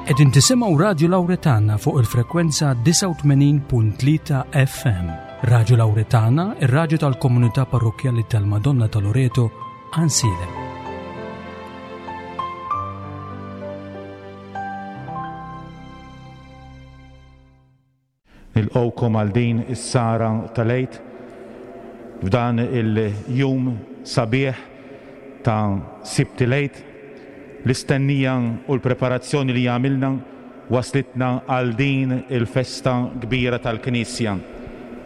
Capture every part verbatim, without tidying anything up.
Qegħdin tisimgħu Radju Lawretana fuq il-frekwenza disgħa u tmenin punt tlieta F M. Radju Lawretana, ir-radju tal-komunità parrokkjali tal-Madonna ta' Loreto, Għajnsielem. Nilqgħukom għal din is-sara tal-Għid f'dan il-jum sabiħ ta' Sibt il-Għid. L-istennija u l-preparazzjoni li għamilna waslitna għal din il-festa kbira tal-Knisja.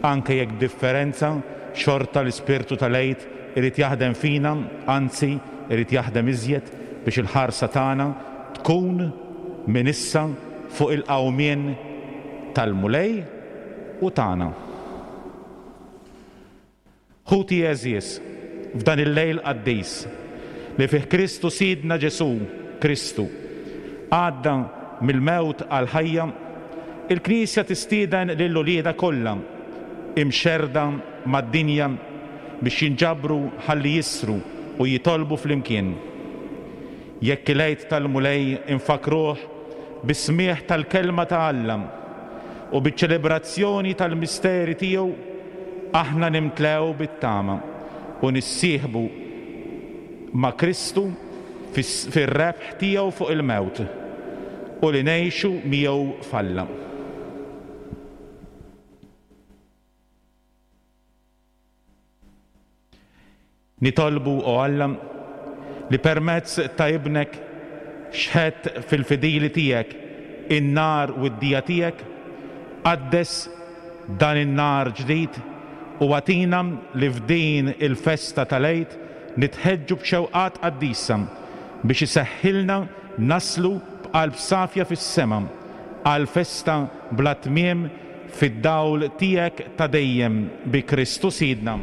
Anke jekk b'differenza, xorta l-Ispirtu tal-Għid irid jaħdem fina, anzi irid jaħdem iżjed biex il-ħarsa tagħna tkun minn issa fuq il-qawmien tal-Mulej u tagħna. Ħuti għeżież, f'dan il-lejl qaddis li fih Kristu Sidna Ġesu Kristu għadda mill-mewt għall-ħajja, il-Knisja tistieden lil uliedha kollha imxerda mad-dinja biex jinġabru ħalli jisru u jitolbu flimkien. Jekk il-Għid tal-Mulej infakruh bis-smieħ tal-kelma ta' Alla u biċ-ċelebrazzjoni tal-misteri tiegħu, aħna nimtlew bit-tama u nissieħbu ma' Kristu fis-, fir-rebħ tiegħu fuq il-mewt u li ngħixu miegħu f'Alla. Nitolbu, o Alla, li permezz ta' ibnek xħet fil-fidili tiegħek in-nar u d-dija tiegħek, qaddes dan in-nar ġdid u għatina li f'din il-festa tal-Għid nitħeġġu b'xewqat qaddisa biex iseħħilna naslu b'qalb safja fis-sema għal festa bla tmiem fid-dawl tiegħek ta' dejjem bi Kristu Sidna.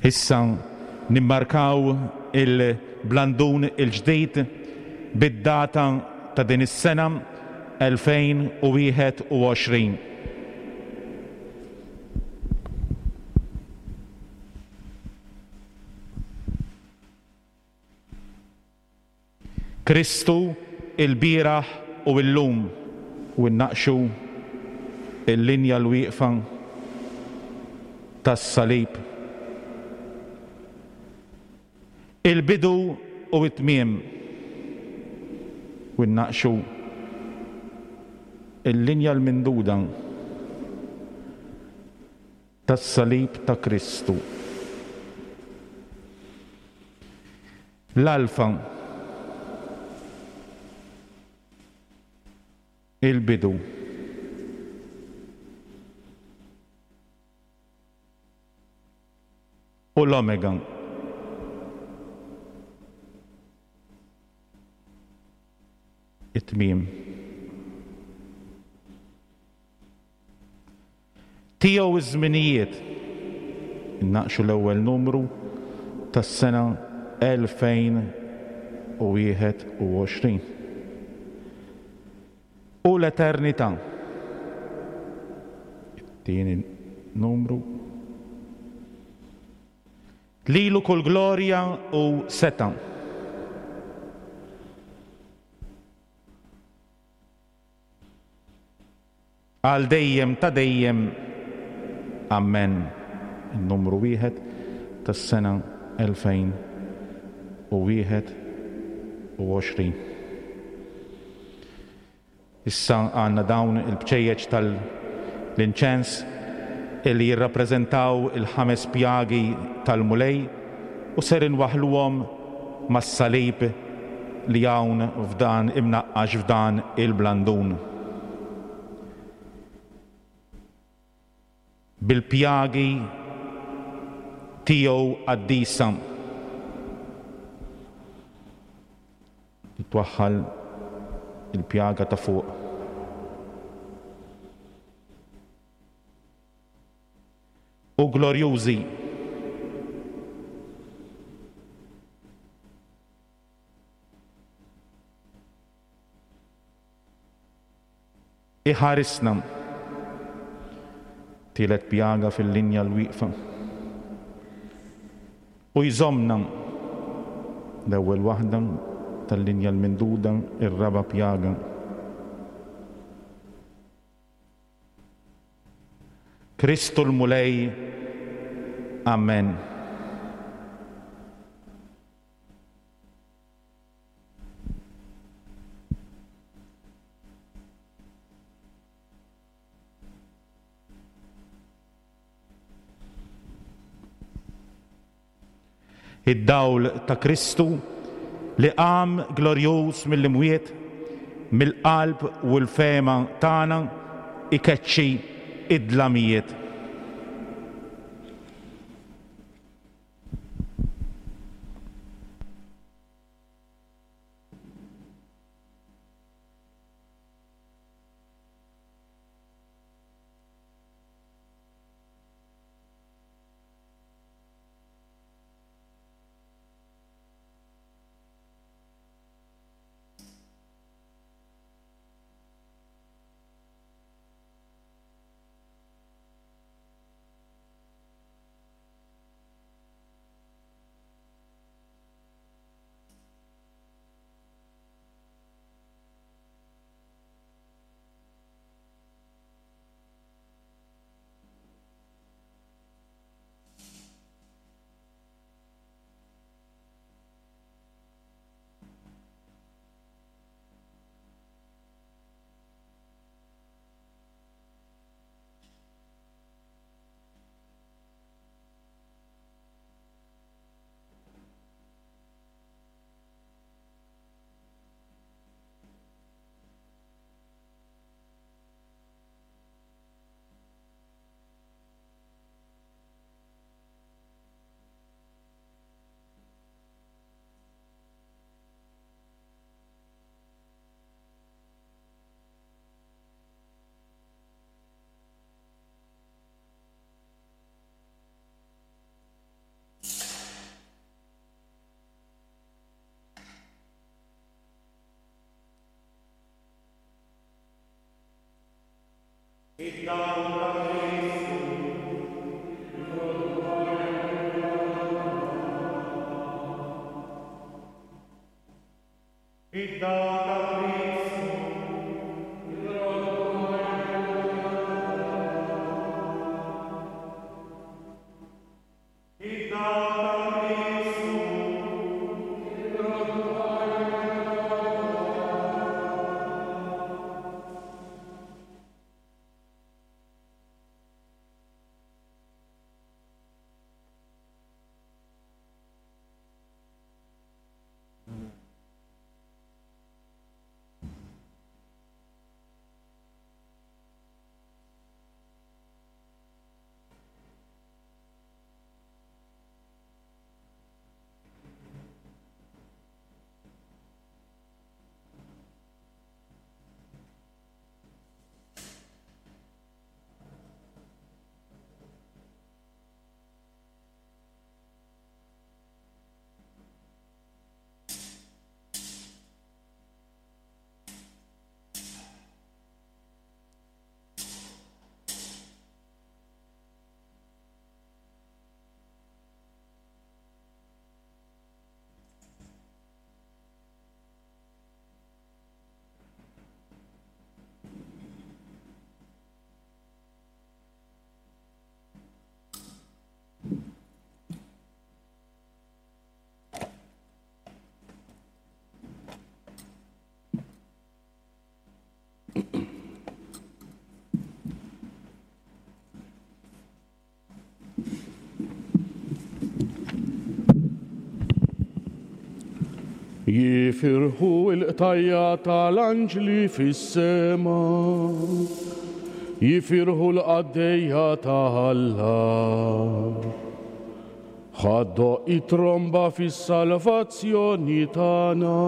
Issa nimmarkaw il-blandun il-ġdid bid-data ta' din is-sena elfejn u wieħed u għoxrin. Kristu il-bieraħ u l-lum u nnaqxu il-linja l-wieqfa tas-salib. Il-bidu u t-tmiem u nnaqxu il-linja l-minduda tas-salib ta' Kristu. L-alfa, il-bidu. U l-omega. It-tmiem. Tiegħu iż-żminijiet. Innaqxu l-ewwel numru tas-sena elfejn u wieħed u għoxrin. U l-eternità. It-tieni numru. Lilu kull glorja u seta'. Għal dejjem ta' dejjem. Amen. Il-numru wieħed tas-sena elfejn u wieħed u għoxrin. Issa għandna dawn il-bċejjeċ tal-inċens illi jirrappreżentaw il-ħames pjagi tal-Mulej u ser inwaħħluhom mas-salib li hawn f'dan imnaqqax f'dan il-blandun. Bil-pjagi tiegħu qaddisa. Twaħħal il-pjaga ta' fuq. glorjużi. Iħarisna. Tielet pjaga fil-linja l-wieqfa. U jżommna. L-ewwel waħda tal-linja l-minduda, ir-raba' pjaga. Kristu l-Mulej. Amen. Id-dawl ta' Kristu li qam glorjuż mill-imwiet, mill-qalb u l-fema tagħna ikeċċi id-dlamijiet. Jifirħu l-qtajja tal-anġli fis-sema, jifirħu l-qaddejja ta' Alla. Ħaddoq it-tromba fis-salvazzjoni tagħna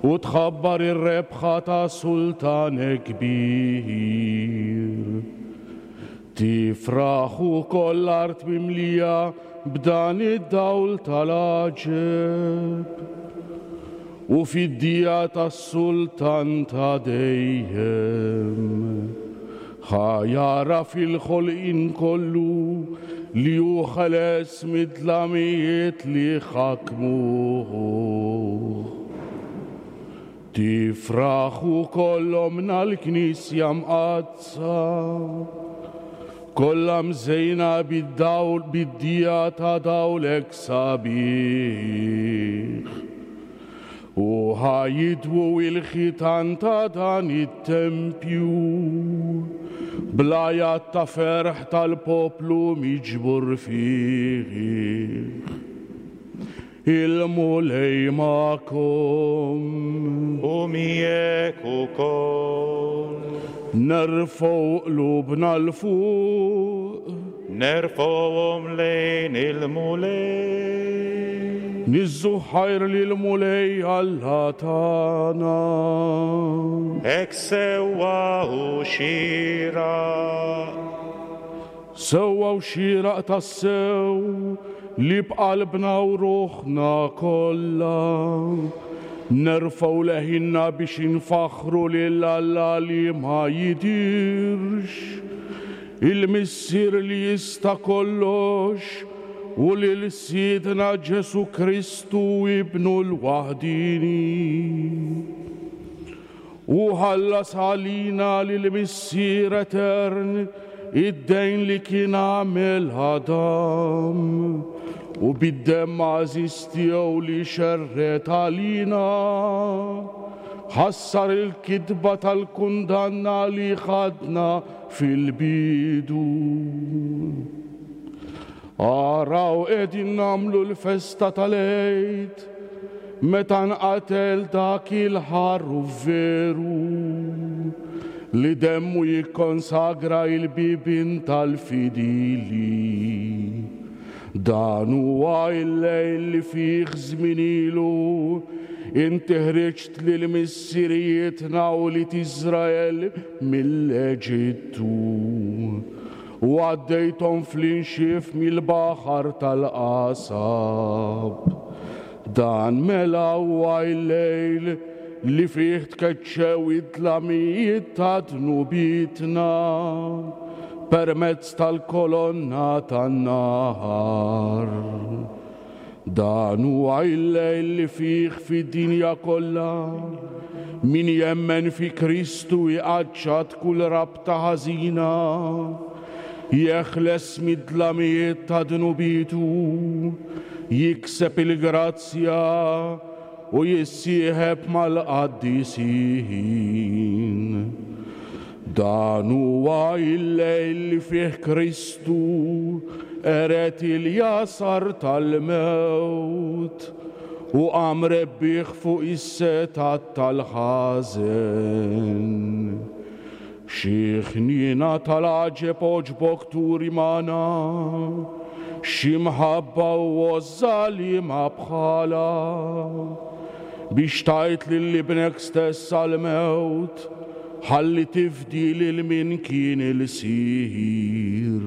u tħabbar ir-rebħa ta' sultan kbir. Tifraħ ukoll l-art mimlija b'dan id-dawl tal-għaġeb, u fid-dija tas-sultan ta' dejjem. Ħa jara fil-ħolqien kollu li hu ħeles mid-dlamijiet li ħakmuh. Tifraħ ukoll ommna l-Knisja mqaddsa, kollha mżejna bid-dawl bid-dija ta' dawlek sabiħ. U ħa jidwu il-ħitan ta' dan it-tempju bl-għajat ta' ferħ tal-poplu miġbur fih. Il-Mulej magħkom. U miegħek ukoll. Nerfgħu qlubna 'l fuq. Nerfgħuhom lejn il-Mulej. Niżżu ħajr lill-Mulej Alla tagħna. Hekk sewwa u xieraq. Sewwa u xieraq tassew li b'qalbna u ruħna kollha nerfgħu leħinna biex infaħħru lil Alla li ma jidirx, il-Missier li jista' kollox, u lil Sidna Ġesu Kristu ibnu l-waħdini. U ħallas għalina lil Missier Etern id-dejn li kien għamel Adam, u bid-demm għażiż tiegħu li xerred għalina ħassar il-kitba tal-kundanna li ħadna fil-bidu. Araw qegħdin nagħmlu l-festa tal-Għid meta nqatel dak il-ħaruf veru li demmu jikkonsagra il-bibien tal-fidili. Dan huwa il-lejl li fih żmien ilu inti ħriġt lil missirijietna u lil Iżrael mill-Eġittu u għaddejthom fl-inxif mill-baħar tal-qasab. Dan mela huwa il-lejl li fih tkeċċew id-dlamijiet ta' dnubietna permezz tal-kolonna tan-nahar. Dan huwa il-lejl li fih fid-dinja kollha min jemmen fi Kristu jqaċċat kull rabta ħażina, jeħles mid-dlamijiet ta' dnubitu, jikseb il-grazzja u jissieħeb mal-qaddisin. Dan huwa il-lejl li fih Kristu qered il-jasar tal-mewt u qam rebbieħ fuq is-setat tal-ħażen. Xi ħniena tal-għaġeb għoġbok turi magħna, xi mħabba u għożża li ma bħalha, biex tajt lil ibnek stess għall-mewt, ħalli tifdi lil min kien il-sir.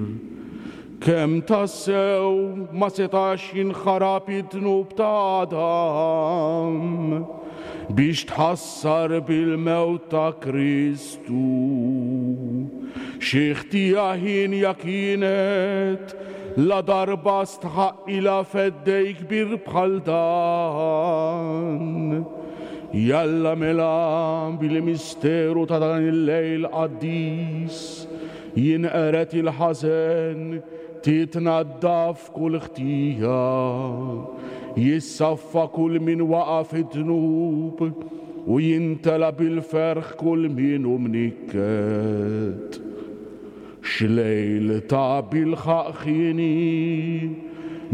Kemm tassew ma setax jinħarab id-dnub ta' Adam biex tħassar bil-mewt ta' Kristu. Xi ħtija ħienja kienet la darba stħaqilha feddej kbir bħal dan. Jalla mela bil-misteru ta' dan il-lejl qaddis jinqered il-ħażen, titnaddaf kull ħtija, jissaffa kull min waqa' fid-dnub u jintela bil-ferħ kull min hu mnikket. X'lejl ta' bilħaq ħieni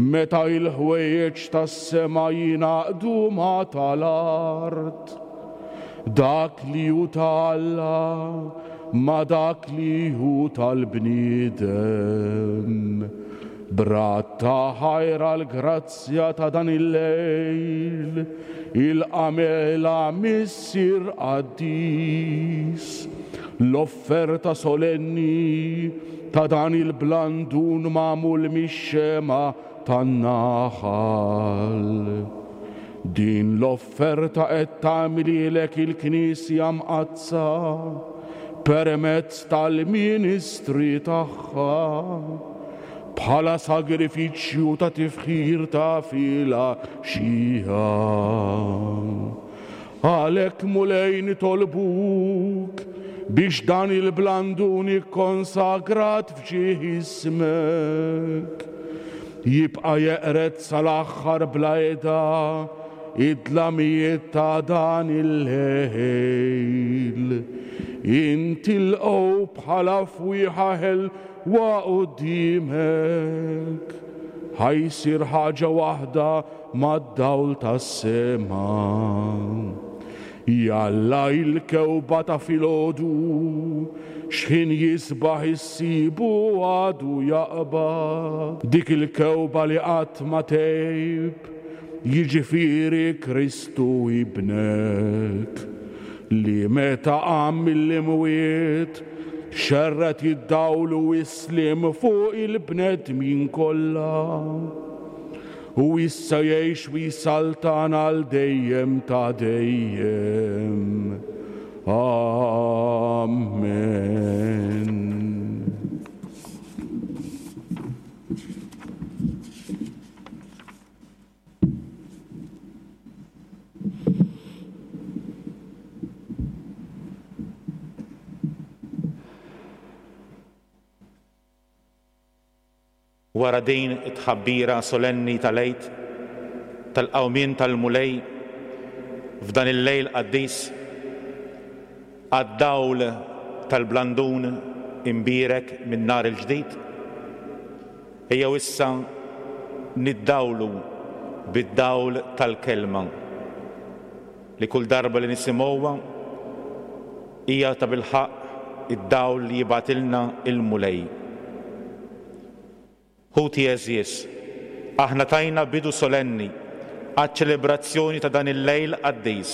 meta il-ħwejjeġ tas-sema jingħaqdu ma' tal-art, dak li hu ta' Alla ma' dak li hu tal-bniedem. Brat ta' ħajra l-grazzja ta' dan il-lejl, il-qamela Missier qaddis, L-offerta solenni ta' dan il-blandun magħmul mix-xema tan-naħal. Din l-offerta qed tagħmililek il-Knisja mqaddsa permezz tal-ministri tagħha bħala sagrifiċċju ta' tifħir ta' filgħaxija. Għalhekk Mulej nitolbuk biex dan il-blandun ikkonsagrat f'ġieħ ismek jibqa' jeqred sal-aħħar bla qiegħda id-dlamijiet ta' dan il-lejl. Intilqgħu bħala fwieħa ħelwa quddiemek, ħa jsir ħaġa waħda mad-dawl tas-sema. Jalla il-kewba ta' filgħodu x'ħin jisbaħ issibu għadu jaqbad. Dik il-kewba li qatt ma tgħib, jiġifieri Kristu ibnek, li meta qam mill-imwiet xerret id-dawl u s-sliem fuq il-bnedmin kollha. U issa jgħix u jsaltan għal dejjem ta' dejjem. Amen. Wara din it-tħabbira solenni tal-Għid tal-qawmien tal-Mulej f'dan il-lejl qaddis għad-dawl tal-blandun imbierek minn nar il-ġdid, ejjew issa niddawlu bid-dawl tal-kelma li kull darba li nisimgħuha hija ta' bilħaqq id-dawl li jibgħatilna il-Mulej. Ħuti għeżież, aħna tajna bidu solenni għaċ-ċelebrazzjoni ta' dan il-lejl qaddis.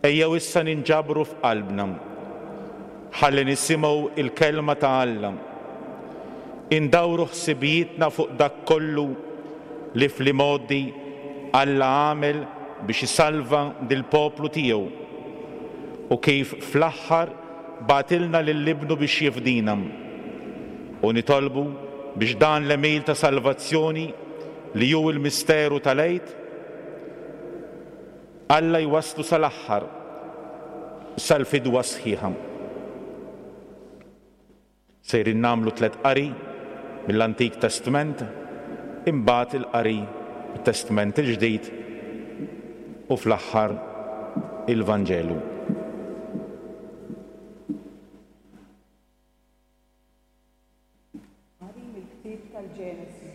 Ejjew issa ninġabru f'qalbna ħalli nisimgħu il-kelma ta' Alla. Indawru ħsibijietna fuq dak kollu li fl-imgħoddi Alla għamel biex isalva dil-poplu tiegħu u kif fl-aħħar bagħtilna lil ibnu biex jifdina. U nitolbu biex dan l-għemil ta' salvazzjoni li hu l-misteru tal-Għid, Alla jwasslu sal-aħħar, sal-fidwa sħiħa. Sejrin nagħmlu tliet qari mill-Antik Testament, imbagħad il-qari mit-Testament il-Ġdid u fl-aħħar il-Vanġelu. Qari mill-Ktieb tal-Ġenesi.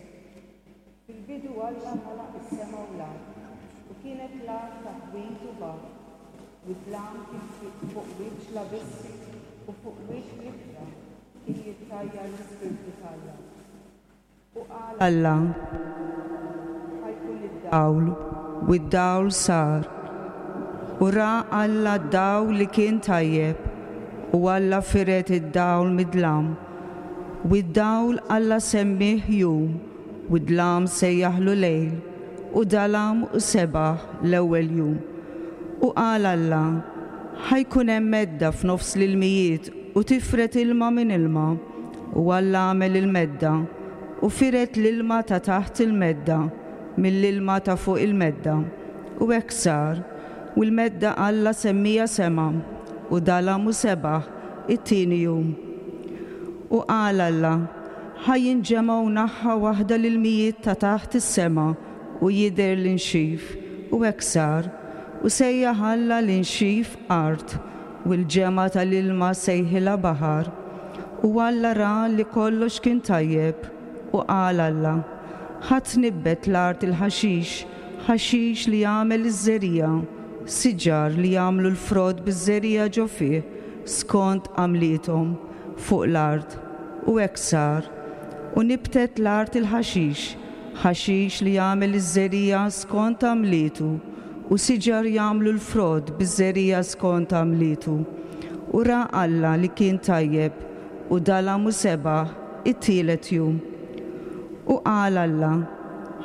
Fil-bidu Alla ħalaq is-sema u l-art, u kienet l-art taħwid u baħar, u d-dlam kien fuq wiċċ l-abissi u fuq wiċċ l-ibħra kien jittajjar l-Ispirtu t'Alla. U qal Alla, ħa jkun id-dawl, u d-dawl sar. U ra Alla d-dawl li kien tajjeb, u Alla firet id-dawl mid-dlam. U d-dawl Alla semmih jum, u d-dlam sejjaħlu lejl, u dalam u sebaħ l-ewwel jum. U qal Alla, ħa jkun hemm medda f'nofs l-ilmijiet u tifret ilma minn ilma. U Alla għamel il-medda, u firet l-ilma ta' taħt il-medda mill-ilma ta' fuq il-medda. U hekk sar, u l-medda Alla semmija sema, u dalam u sebaħ it-tieni jum. U qal Alla, ħa jinġemgħu naħa waħda l-ilmijiet ta' taħt is-sema u jidher l-inxif, u hekk sar. U sejjaħ Alla l-inxif art, u l-ġemgħa tal-ilma sejħilha baħar. U Alla ra li kollox kien tajjeb, u qal Alla, ħa tnibbet l-art il-ħaxix, ħaxix li jagħmel iż-żerriegħa, siġar li jagħmlu l-frott biż-żerriegħa ġo fih, skont għamliethom fuq l-art. U hekk sar. U nibtet l-art il-ħaxix, ħaxix li jagħmel iż-żerriegħa skont għamlietu, u siġar jagħmlu l-frott biż-żerriegħa skont għamlietu. U ra Alla li kien tajjeb, u dalam u sebaħ it-tielet jum. U qal Alla,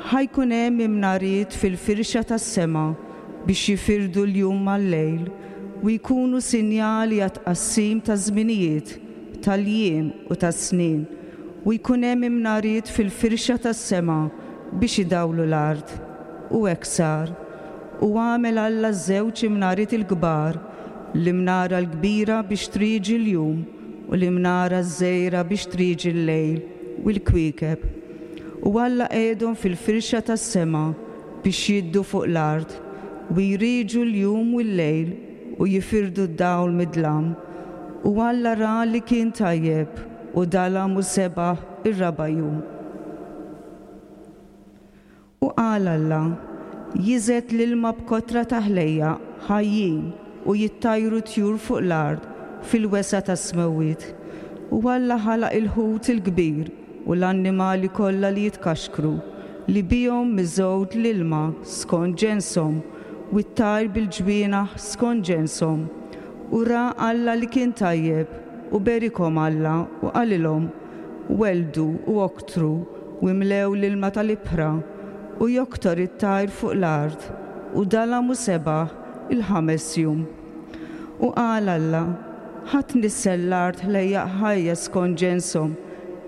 ħa jkun hemm imnariet fil-firxa tas-sema biex jifirdu l-jum mal-lejl u jkunu sinjali għat-tqassim taż-żminijiet, tal-jiem u tas-snin, u jkun hemm imnariet fil-firxa tas-sema biex idawlu l-art. U hekk sar. U għamel Alla żewġ imnariet il-kbar, l-imnara l-kbira biex trieġi l-jum u l-imnara ż-żgħira biex trieġi l-lejl u l-kwiekeb. U Alla qiegħdhom fil-firxa tas-sema biex jiddu fuq l-art u jrieġu l-jum u l-lejl u jifirdu d-dawl mid-dlam. U Alla ra li kien tajjeb u dalam u sebaħ ir-raba' jum. U qal Alla, jiżgħet l-ilma b'kotra ta' ħlejjaq ħajjin u jittajru tjur fuq l-art fil-wesgħa tas-smewwiet. U Alla ħalaq il-ħut il-kbir u l-annimali kollha li jitkaxkru, li bihom miżgħud l-ilma skont ġenshom, u t-tajr bil-ġwienaħ skont ġenshom. U ra Alla li kien tajjeb, u berikhom Alla u qalilhom, weldu u oktru u imlew l-ilma tal-ibħra, u joktor it-tajr fuq l-art, u dalam u sebaħ il-ħames jum. U qal Alla, ħa tnissel l-art ħlejjaq ħajja skont ġenshom,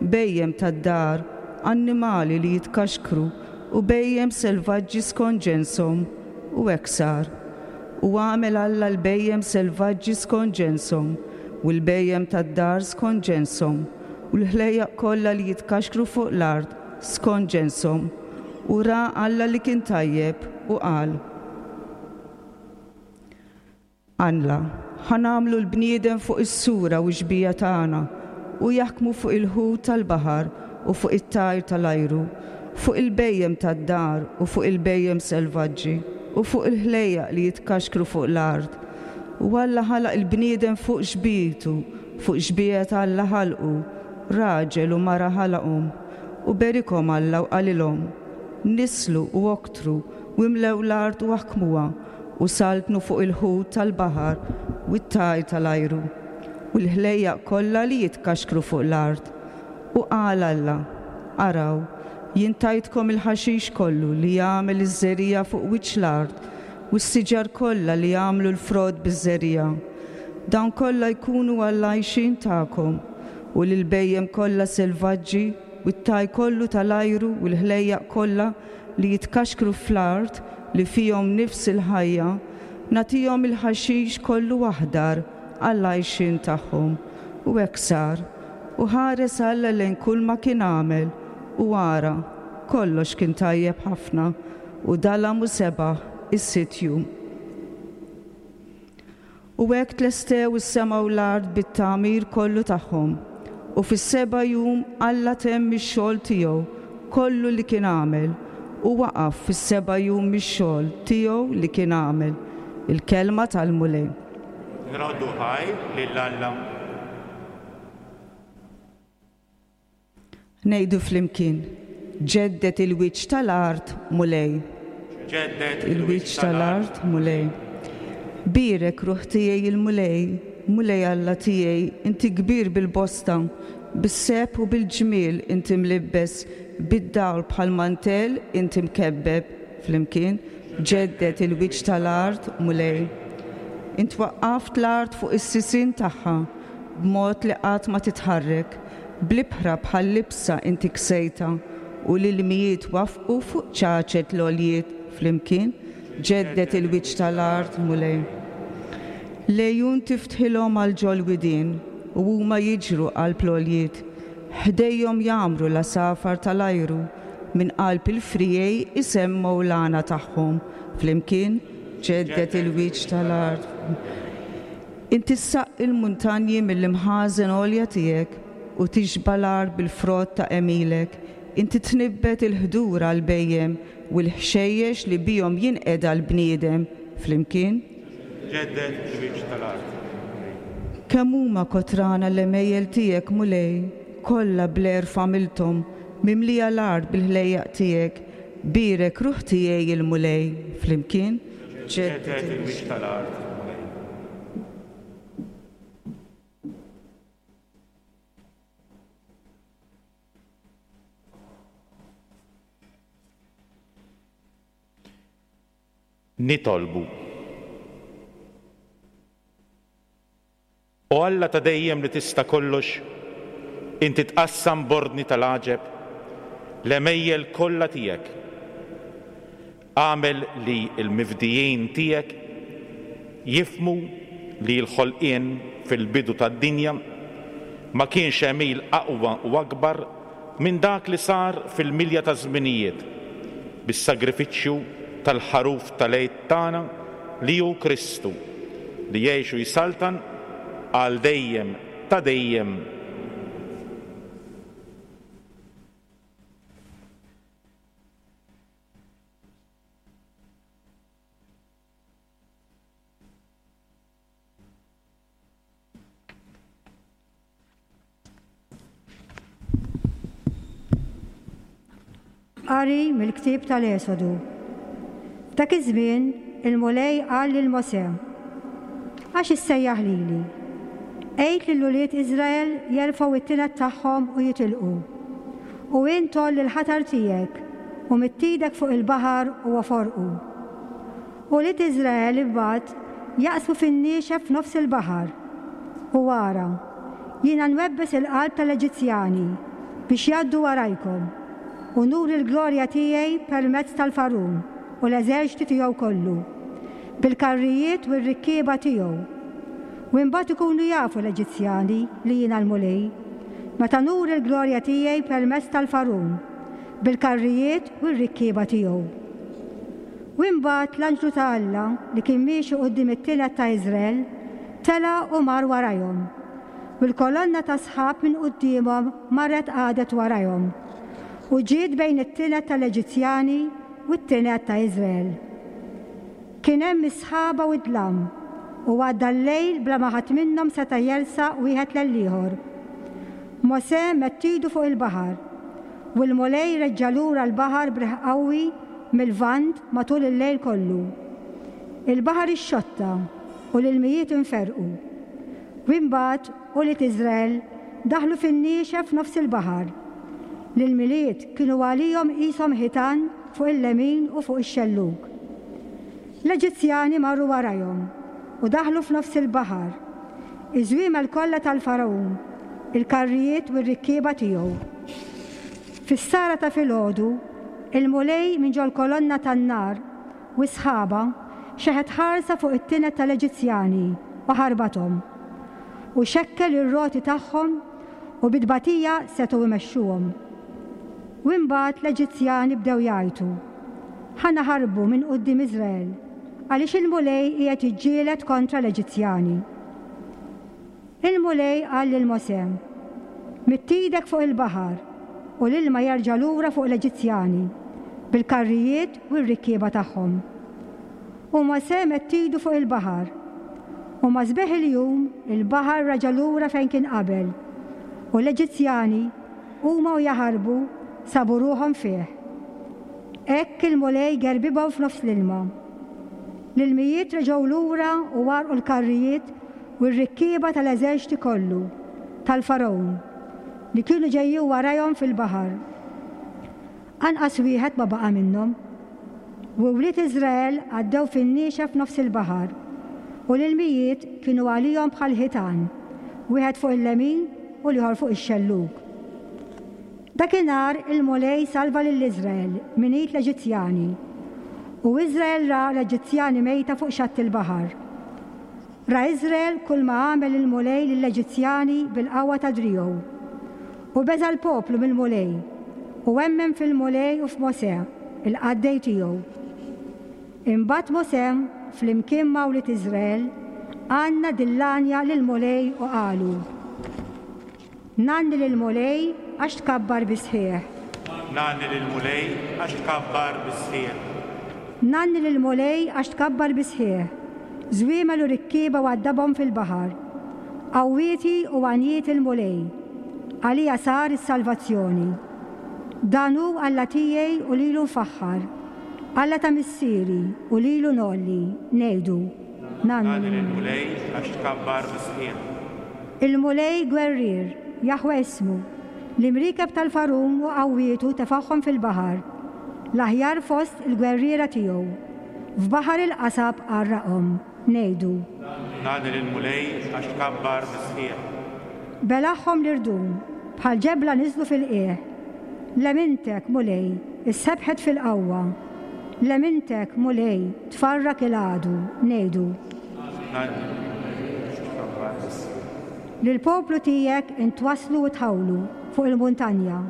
bhejjem tad-dar, annimali li jitkaxkru, u bhejjem selvaġġi skont ġenshom, u hekk sar. U għamel Alla l-bhejjem selvaġġi skont ġenshom, u l-bhejjem tad-dar skont ġenshom, u l-ħlejjaq kollha li jitkaxkru fuq l-art skont ġenshom. U ra Alla li kien tajjeb u qal, Alla, ħa nagħmlu l-bniedem fuq is-sura u x-xbieha tagħna, u jaħkmu fuq il-ħut tal-baħar u fuq it-tajr tal-ajru, fuq il-bhejjem tad-dar u fuq il-bhejjem selvaġġi, u fuq il-ħlejjaq li jitkaxkru fuq l-art. U Alla ħalaq il-bniedem fuq xbietu, fuq xbieha Alla ħalqu, raġel u mara ħalaqhom. U berikhom Alla u qalilhom, nislu u oktru u imlew l-art u aħkmuha, u saltnu fuq il-ħut tal-baħar u t-tajr tal-ajru, u l-ħlejjaq kollha li jitkaxkru fuq l-art. U qal Alla, araw, jien tajtkom il-ħaxix kollu li jagħmel iż-żerriegħa fuq wiċċ l-art, u s-siġar kollha li jagħmlu l-frott biż-żerriegħa. Dawn kollha jkunu għall-għajxien tagħkom, u lill-bhejjem kollha selvaġġi, u t-tajr kollu tal-ajru u l-ħlejjaq kollha li jitkaxkru fl-art li fihom nifs il-ħajja, nagħtihom il-ħaxix kollu aħdar għall-għajxien tagħhom. U hekk sar. U ħares Alla lejn kull ma kien għamel, u ara, kollox kien tajjeb ħafna, u dalam u sebaħ is-sitt jum. U hekk tlestew is-sema u l-art bit-tagħmir kollu tagħhom, u fis-seba' jum Alla temm ix-xogħol tiegħu kollu li kien għamel, u waqaf fis-seba' jum mix-xogħol tiegħu li kien għamel. Il-kelma tal-Mulej. Nroddu ħajr lil Alla. Ngħidu flimkien, ġeddet il-wiċċ tal-art, Mulej. Ġeddet il-wiċċ tal-art, Mulej. Bierek ruħ tiegħi il-Mulej, Mulej Alla tiegħi, inti kbir bil-bosta, bis-seb u bil-ġmiel inti mlibbes, bid-dawl bħal mantell inti mkebbeb. Flimkien, ġeddet il-wiċċ tal-art, Mulej. Int waqqaft l-art fuq is-sisien tagħha, b'mod li qatt ma titħarrek, bl-ibħra bħal libsa inti ksejta, u l-ilmijiet wafqu fuq ċaċet l-għoljiet. Flimkien, ġeddet il-wiċċ tal-art, Mulej. Lejun tiftħilhom għal ġol-widien, u huma jiġru qalb l-għoljiet. Ħdejhom jagħmru l-għasafar tal-ajru, minn qalb il-frijej isemmu l-għana tagħhom. Flimkien, ġeddet il-wiċċ tal-art. Inti ssaqqi l-muntanji mill-imħażen għolja tiegħek u tixba' l-art bil-frott ta' għemilek. Inti tnibbet il-ħdur għall-bhejjem u l-ħxejjex li bihom jinqeda l-bniedem. Flimkien, ġeddet il-wiċċ tal-art. Kemm huma kotrana l-għemejjel tiegħek, Mulej, kollha bl-għerf għamilthom, mimlija l-art bil-ħlejjaq tiegħek. Bierek ruħ tiegħi il-Mulej. Flimkien, ġeddet il-wiċċ tal-art, Mulej. Nitolbu. O Alla ta' dejjem li tista' kollox, inti tqassam b'ordni tal-għaġeb l-għemejjel kollha tiegħek. Agħmel li l-mifdijin tiegħek jifhmu li l-ħolqien fil-bidu tad-dinja ma kienx għemil aqwa u akbar minn dak li sar fil-milja ta' żminijiet bis-sagrifiċċju tal-ħaruf tal-Għid tagħna li hu Kristu, li jgħix u jsaltan għal dejjem ta' dejjem. Qari mill-ktieb tal-Esodu. F'dak iż-żmien il-Mulej qal lil Mosè: Għax issejjaħ lili? Għid lil ulied Iżrael jerfgħu it-tined tagħhom u jitilqu. U int għolli l-ħatar tiegħek u midd idek fuq il-baħar u oforqu. Ulied Iżrael imbagħad jaqsmu fin-niexef f'nofs il-baħar. U ara, jiena nwebbes il-qalb tal-Eġizzjani biex jgħaddu warajkom, u nuri l-glorja tiegħi permezz tal-Farun u l-eżerċti tiegħu kollu, bil-karrijiet u r-rikkieba tiegħu. U imbagħad ikunu jafu l-Eġizzjani li jiena l-Mulej, meta nuri l-glorja tiegħi permezz tal-Farun, bil-karrijiet u r-rikkieba tiegħu. U imbagħad l-anġlu ta' Alla li kien miexi quddiem it-tined ta' Iżrael tela' u mar warajhom, u l-kolonna ta' sħab minn quddiemhom marret qagħdet warajhom, u ġiet bejn it-tined tal-Eġizzjani u t-tined ta' Iżrael. Kien hemm is-sħaba u d-dlam, u għadda l-lejl bla ma ħadd minnhom seta' jersaq wieħed lel-ieħor. Mosè medd idu fuq il-baħar, u l-Mulej reġġa' lura l-baħar b'riħ qawwi mill-Lvant matul il-lejl kollu. Il-baħar ixxotta u l-ilmijiet inferqu. U imbagħad ulied Iżrael daħlu fin-niexef f'nofs il-baħar. L-ilmijiet kienu għalihom qishom ħitan fuq il-lemin u fuq ix-xellug. L-Eġizzjani marru warajhom u daħlu f'nofs il-baħar. Iż-żwiemel kollha tal-Fargħun, il-karrijiet u r-rikkieba tiegħu. Fis-sara ta' filgħodu, il-Mulej minn ġol-kolonna tan-nar u s-sħaba xeħet ħarsa fuq it-tined tal-Eġizzjani u ħarbathom, u xekkel ir-roti tagħhom u bit-tbatija setgħu imexxuhom. U imbagħad l-Eġizzjani bdew jgħajtu: Ħa naħarbu minn quddiem Iżrael, għaliex il-Mulej qiegħed jiġġieled kontra l-Eġizzjani. Il-Mulej qal lil Mosè: Midd idek fuq il-baħar u l-ilma jerġa' lura fuq l-Eġizzjani bil-karrijiet u r-rikkieba tagħhom. U Mosè medd idu fuq il-baħar, u ma' sbieħ il-jum il-baħar raġa' lura fejn kien qabel, u l-Eġizzjani huma u jaħarbu sabu ruħhom fih. Hekk il-Mulej gerbibhom f'nofs l-ilma. L-ilmijiet reġgħu lura u għarqu l-karrijiet u r-rikkieba tal-eżerċti kollu tal-Fargħun li kienu ġejjin warajhom fil-baħar. Anqas wieħed ma baqa' minnhom. U wlied Iżrael għaddew fin-niexef f'nofs il-baħar, u l-ilmijiet kienu għalihom bħal ħitan, wieħed fuq il-lemin u l-ieħor fuq ix-xellug. Dakinhar il-Mulej salva lil Iżrael minn id l-Eġizzjani, u Iżrael ra l-Eġizzjani mejta fuq xatt il-baħar. Ra Iżrael kull ma għamel il-Mulej lill-Eġizzjani bil-qawwa ta' driegħu. U beża' l-poplu mill-Mulej, u emmen fil-Mulej u f'Mosè, il-qaddej tiegħu. Imbagħad Mosè, flimkien ma' wlied Iżrael, għanna dil-għanja lill-Mulej u qalu: Ngħanni lill-Mulej għax tkabbar bis-sħiħ. Ngħanni lill-Mulej għax tkabbar bis-sħiħ. Ngħanni lill-Mulej għax tkabbar bis-sħiħ. Żwiemel u rikkieba waddabhom fil-baħar. Qawwieti u għanjiet il-Mulej. Għalija sar is-salvazzjoni. Dan hu Alla tiegħi u lilu nfaħħar. Alla ta' missieri u lilu ngħolli, ngħidu. Ngħanni lill-Mulej għax tkabbar bis-sħiħ. Il-Mulej gwerrier, Jaħwe ismu, l-imriekeb tal-Farun u qawwietu tefagħhom fil-baħar, l-aħjar fost il-gwerriera tiegħu. F'baħar il-qasab għarraqhom. Ngħidu. Nagħni lill-Mulej għax tkabbar bis-sħiħ. Belagħhom l-irdum, bħal ġebla niżlu fil-qiegħ. Lemintek, Mulej, issebħet fil-qawwa. Lemintek, Mulej, tfarrak il-għadu. Ngħidu. Nagħni lill-Mulej għax tkabbar bis-sħiħ. Lill-poplu tiegħek intwasslu u tħawlu fuq il-muntanja,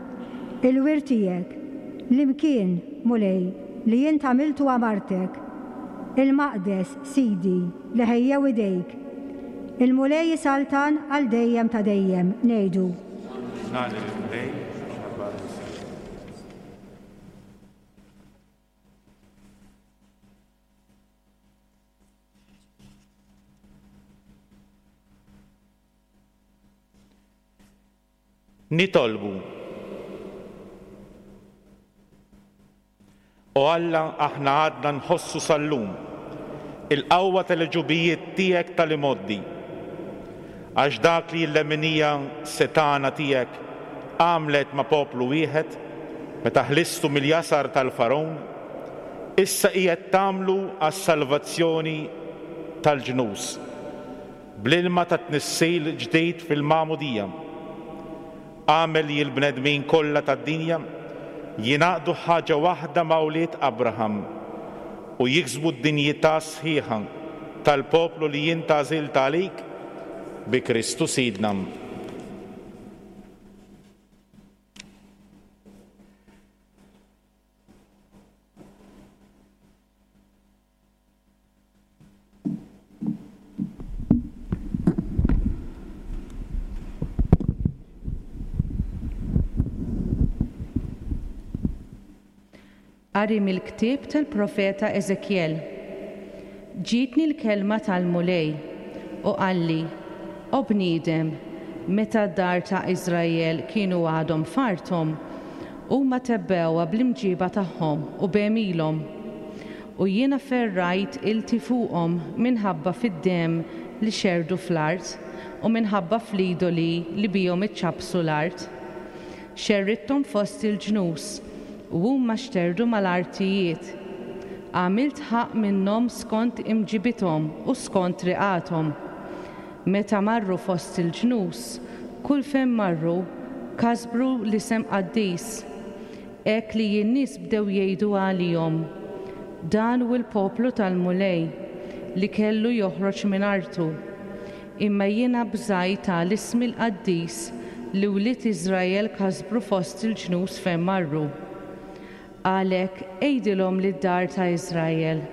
il-wirt tiegħek, l-imkien, Mulej, li int għamiltu għamartek, il-maqdes, Sidi, li ħejjew idejk. Il-Mulej jisaltan għal dejjem ta' dejjem, ngħidu. Nagħni lill-Mulej għax tkabbar bis-sħiħ. Nitolbu. O Alla, aħna għadna nħossu sal-lum il-qawwa tal-ġubijiet tiegħek tal-imoddi, għax dak li l-leminija setana tiegħek għamlet ma' poplu wieħed meta ħlistu mill-jasar tal-Faron, issa qiegħed tagħmlu għas-salvazzjoni tal-ġnus bl-ilma ta' tnissil ġdid fil-magħmudija. Għamel li l-bnedmin kollha tad-dinja jingħaqdu ħaġa waħda ma' wlied Abraham u jiksbu d-dinjità sħiħa tal-poplu li int għażilt għalik bi Kristu Sidna. Qari mill-ktieb tal-profeta Eżekjel. Ġietni l-kelma tal-Mulej u qalli, O bniedem, meta d-dar ta' Iżrael kienu għadhom f'arthom, huma tebbewha bl-imġiba tagħhom u b'għemilhom. U jiena ferrajt ilti fuqhom minħabba fid-demm li xerdu fl-art u minħabba fl-idoli li bihom iċċappsu l-art. Xerridthom fost il-ġnus u huma xterdu mal-artijiet. Għamilt ħaqq minnhom skont imġibithom u skont riqathom. Meta marru fost il-ġnus, kull fejn marru kasbru l-isem qaddis. Hekk li n-nies bdew jgħidu għalihom, dan hu l-poplu tal-Mulej li kellu joħroġ minn artu. Imma jiena bżajt għal ismi l-qaddis li wlied Iżrael kasbru fost il-ġnus fejn marru. Għalhekk għidilhom lid-dar ta' Iżrael,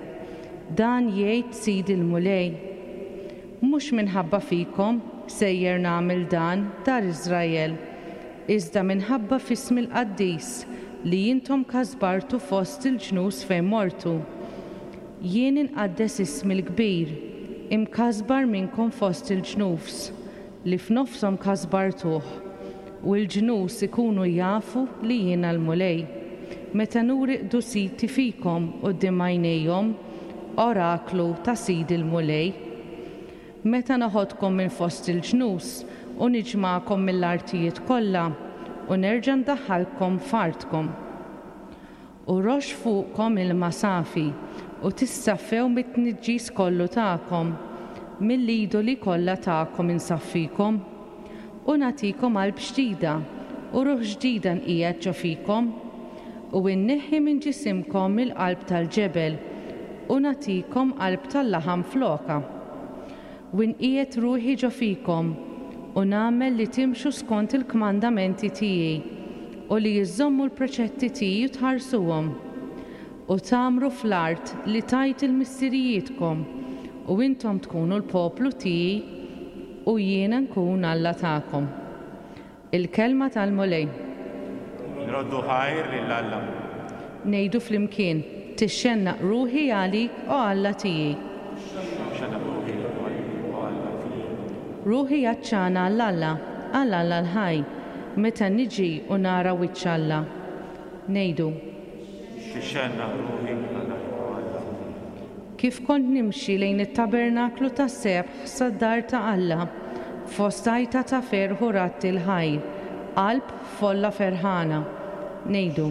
dan jgħid Sid il-Mulej. Mhux minħabba fikom sejjer nagħmel dan, dar Iżrael, iżda minħabba f'ismi l-qaddis li intom kasbartu fost il-ġnus fejn mortu. Jien inqaddes ismi l-kbir, imkasbar minnkom fost il-ġnus, li f'nofshom kasbartuh, u l-ġnus ikunu jafu li jiena l-Mulej. Meta nuri qdusiti fikom quddiem għajnejhom, oraklu ta' Sid il-Mulej. Meta noħodkom minn fost il-ġnus u niġmagħkom mill-artijiet kollha u nerġa' ndaħħalkom f'artkom. U rox fuqkom ilma safi u tissaffew mit-tniġġis kollu tagħkom, mill-idoli kollha tagħkom insaffikom. U nagħtikom qalb ġdida u ruħ ġdida nqiegħed ġo fikom. U nneħħi minn ġisimkom il-qalb tal-ġebel u nagħtikom qalb tal-laħam floka. U nqiegħed ruħi ġo fikom u nagħmel li timxu skont il-kmandamenti tiegħi u li jiżommu l-preċetti tiegħi u tħarsuhom. U tagħmru fl-art li tajt il-missirijietkom u intom tkunu l-poplu tiegħi u jiena nkun Alla tagħkom. Il-kelma tal-Mulej. Nroddu ħajr lil Alla. Ngħidu flimkien, tixxennaq ruħi għalik, o Alla tiegħi. Tixxennaq ruħi għalik, o Alla tiegħi. Ruħi għatxana għal Alla, għal Alla l-ħaj, meta niġi u nara wiċċ Alla. Ngħidu. Tixxennaq ruħi għalik, o Alla tiegħi. Kif kont nimxi lejn it-tabernaklu tas-sebħ sad-dar ta' Alla, fost għajta ta' ferħ u ratt il-ħajr, qalb folla ferħana. Ngħidu.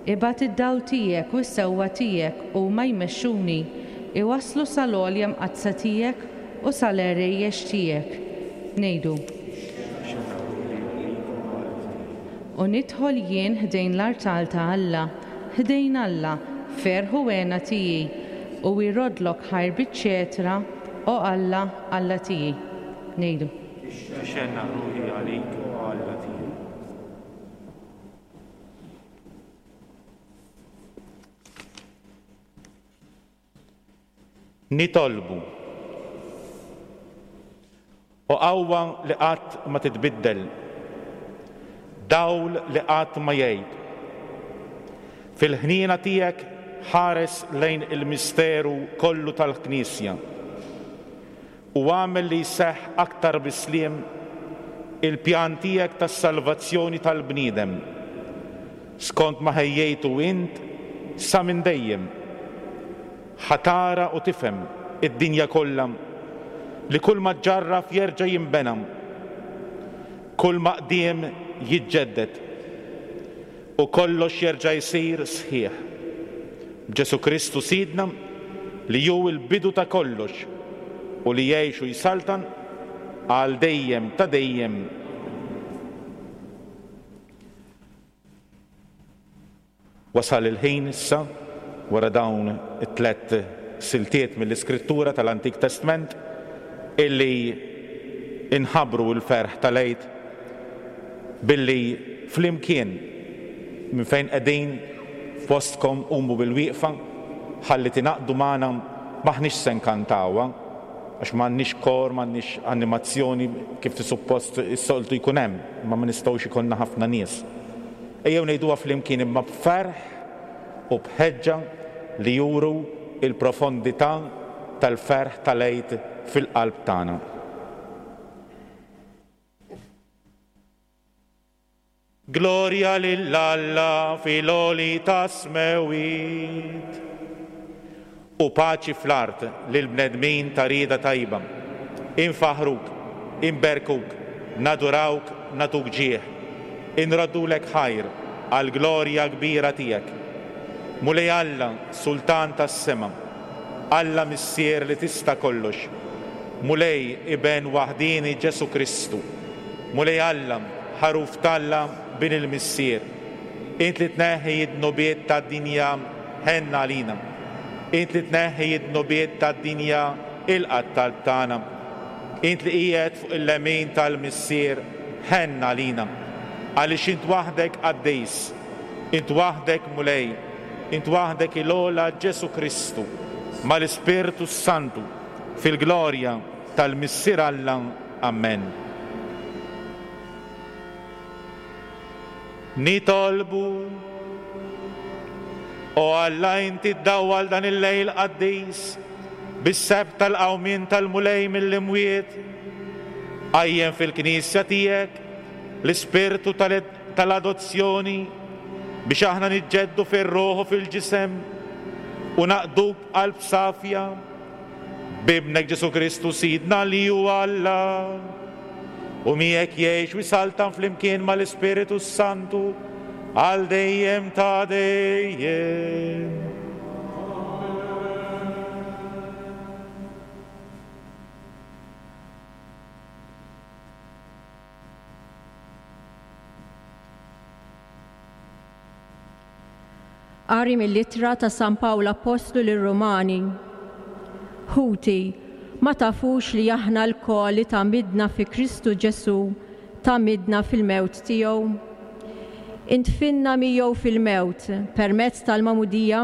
Ibgħat id-dawl tiegħek u s-sewwa tiegħek huma jmexxuni, iwasslu sal-għolja mqaddsa tiegħek u sal-għerejjex tiegħek. Ngħidu. U nidħol jien ħdejn l-artal ta' Alla, ħdejn Alla, ferħ u hena tiegħi, u jroddlok ħajr biċ-ċetra, o Alla, Alla tiegħi. Ngħidu. Tixxennaq ruħi għalik, o Alla tiegħi. Nitolbu. O qawwa li qatt ma titbiddel, dawl li qatt ma jgħib. Fil-ħniena tiegħek ħares lejn il-misteru kollu tal-Knisja u għamel li jseħħ aktar bisliem il-pjan tiegħek tas-salvazzjoni tal-bniedem, skont ma ħejjejtu int sa minn dejjem. Ħatara u tifhem id-dinja kollha li kull ma ġġarraf jerġa' jinbena, kull ma qdiem jiġġedded u kollox jerġa' jsir sħiħ. Ġesù Kristu Sidna li hu l-bidu ta' kollox u li jgħix u jsaltan għal dejjem ta' dejjem. Wasal il-ħin issa, wara dawn it-tlet siltiet mill-Iskrittura tal-Antik Testament, illi inħabru l-ferħ tal-Għid billi flimkien minn fejn qegħdin f'postkom qumu bil-wieqfa ħalli tingħaqdu magħna. M'aħniex se nkantawha għax m'għandniex kor, m'għandniex animazzjoni kif suppost is-soltu jkun hemm, imma ma nistgħux ikollna ħafna nies. Ejjew ngħiduha flimkien imma b'ferħ u b'ħeġġa li juru il-profondità tal-ferħ tal-Għid fil-qalb tagħna. Glorja lil Alla fil-għoli tas-smewwiet u paċi fl-art lil bnedmin ta' rieda tajba. Infaħruk, inberkuk, nadurawk, nagħtuk ġieħ, inroddulek ħajr għall-glorja kbira tiegħek. Mulej Alla, Sultan tas-sema, Alla Missier li tista' kollox, Mulej Iben waħdini Ġesù Kristu, Mulej Alla, ħaruf t'Alla bin il-Missier, int li tneħħi id-dnubiet tad-dinja, ħenna għalina. Int li tneħħi id-dnubiet tad-dinja, ilqa' t-talb tagħna. Int li qiegħed fuq il-lemin tal-Missier, ħenna għalina. Għaliex int waħdek qaddis, int waħdek Mulej, int waħdek il-ogħla Ġesù Kristu, mal-Ispirtu Santu, fil-glorja tal-Missier Alla. Amen. Nitolbu. O Alla, inti ddawwal dan il-lejl qaddis bis-sebħ tal-qawmien tal-Mulej mill-imwiet. Qajjem fil-Knisja tiegħek l-ispirtu tal-adozzjoni biex aħna niġġeddu fir-ruħ u fil-ġisem u naqduk b'qalb safja b'Ibnek Ġesù Kristu Sidna li hu Alla, u miegħek jgħix u jsaltan flimkien mal-Ispiritu Santu għal dejjem ta' dejjem. Qari mill-ittra ta' San Pawl Appostlu lir-Rumani. Ħuti, ma tafux li aħna lkoll li tgħammidna fi Kristu Ġesù tgħammidna fil-mewt tiegħu? Intfinna miegħu fil-mewt permezz tal-magħmudija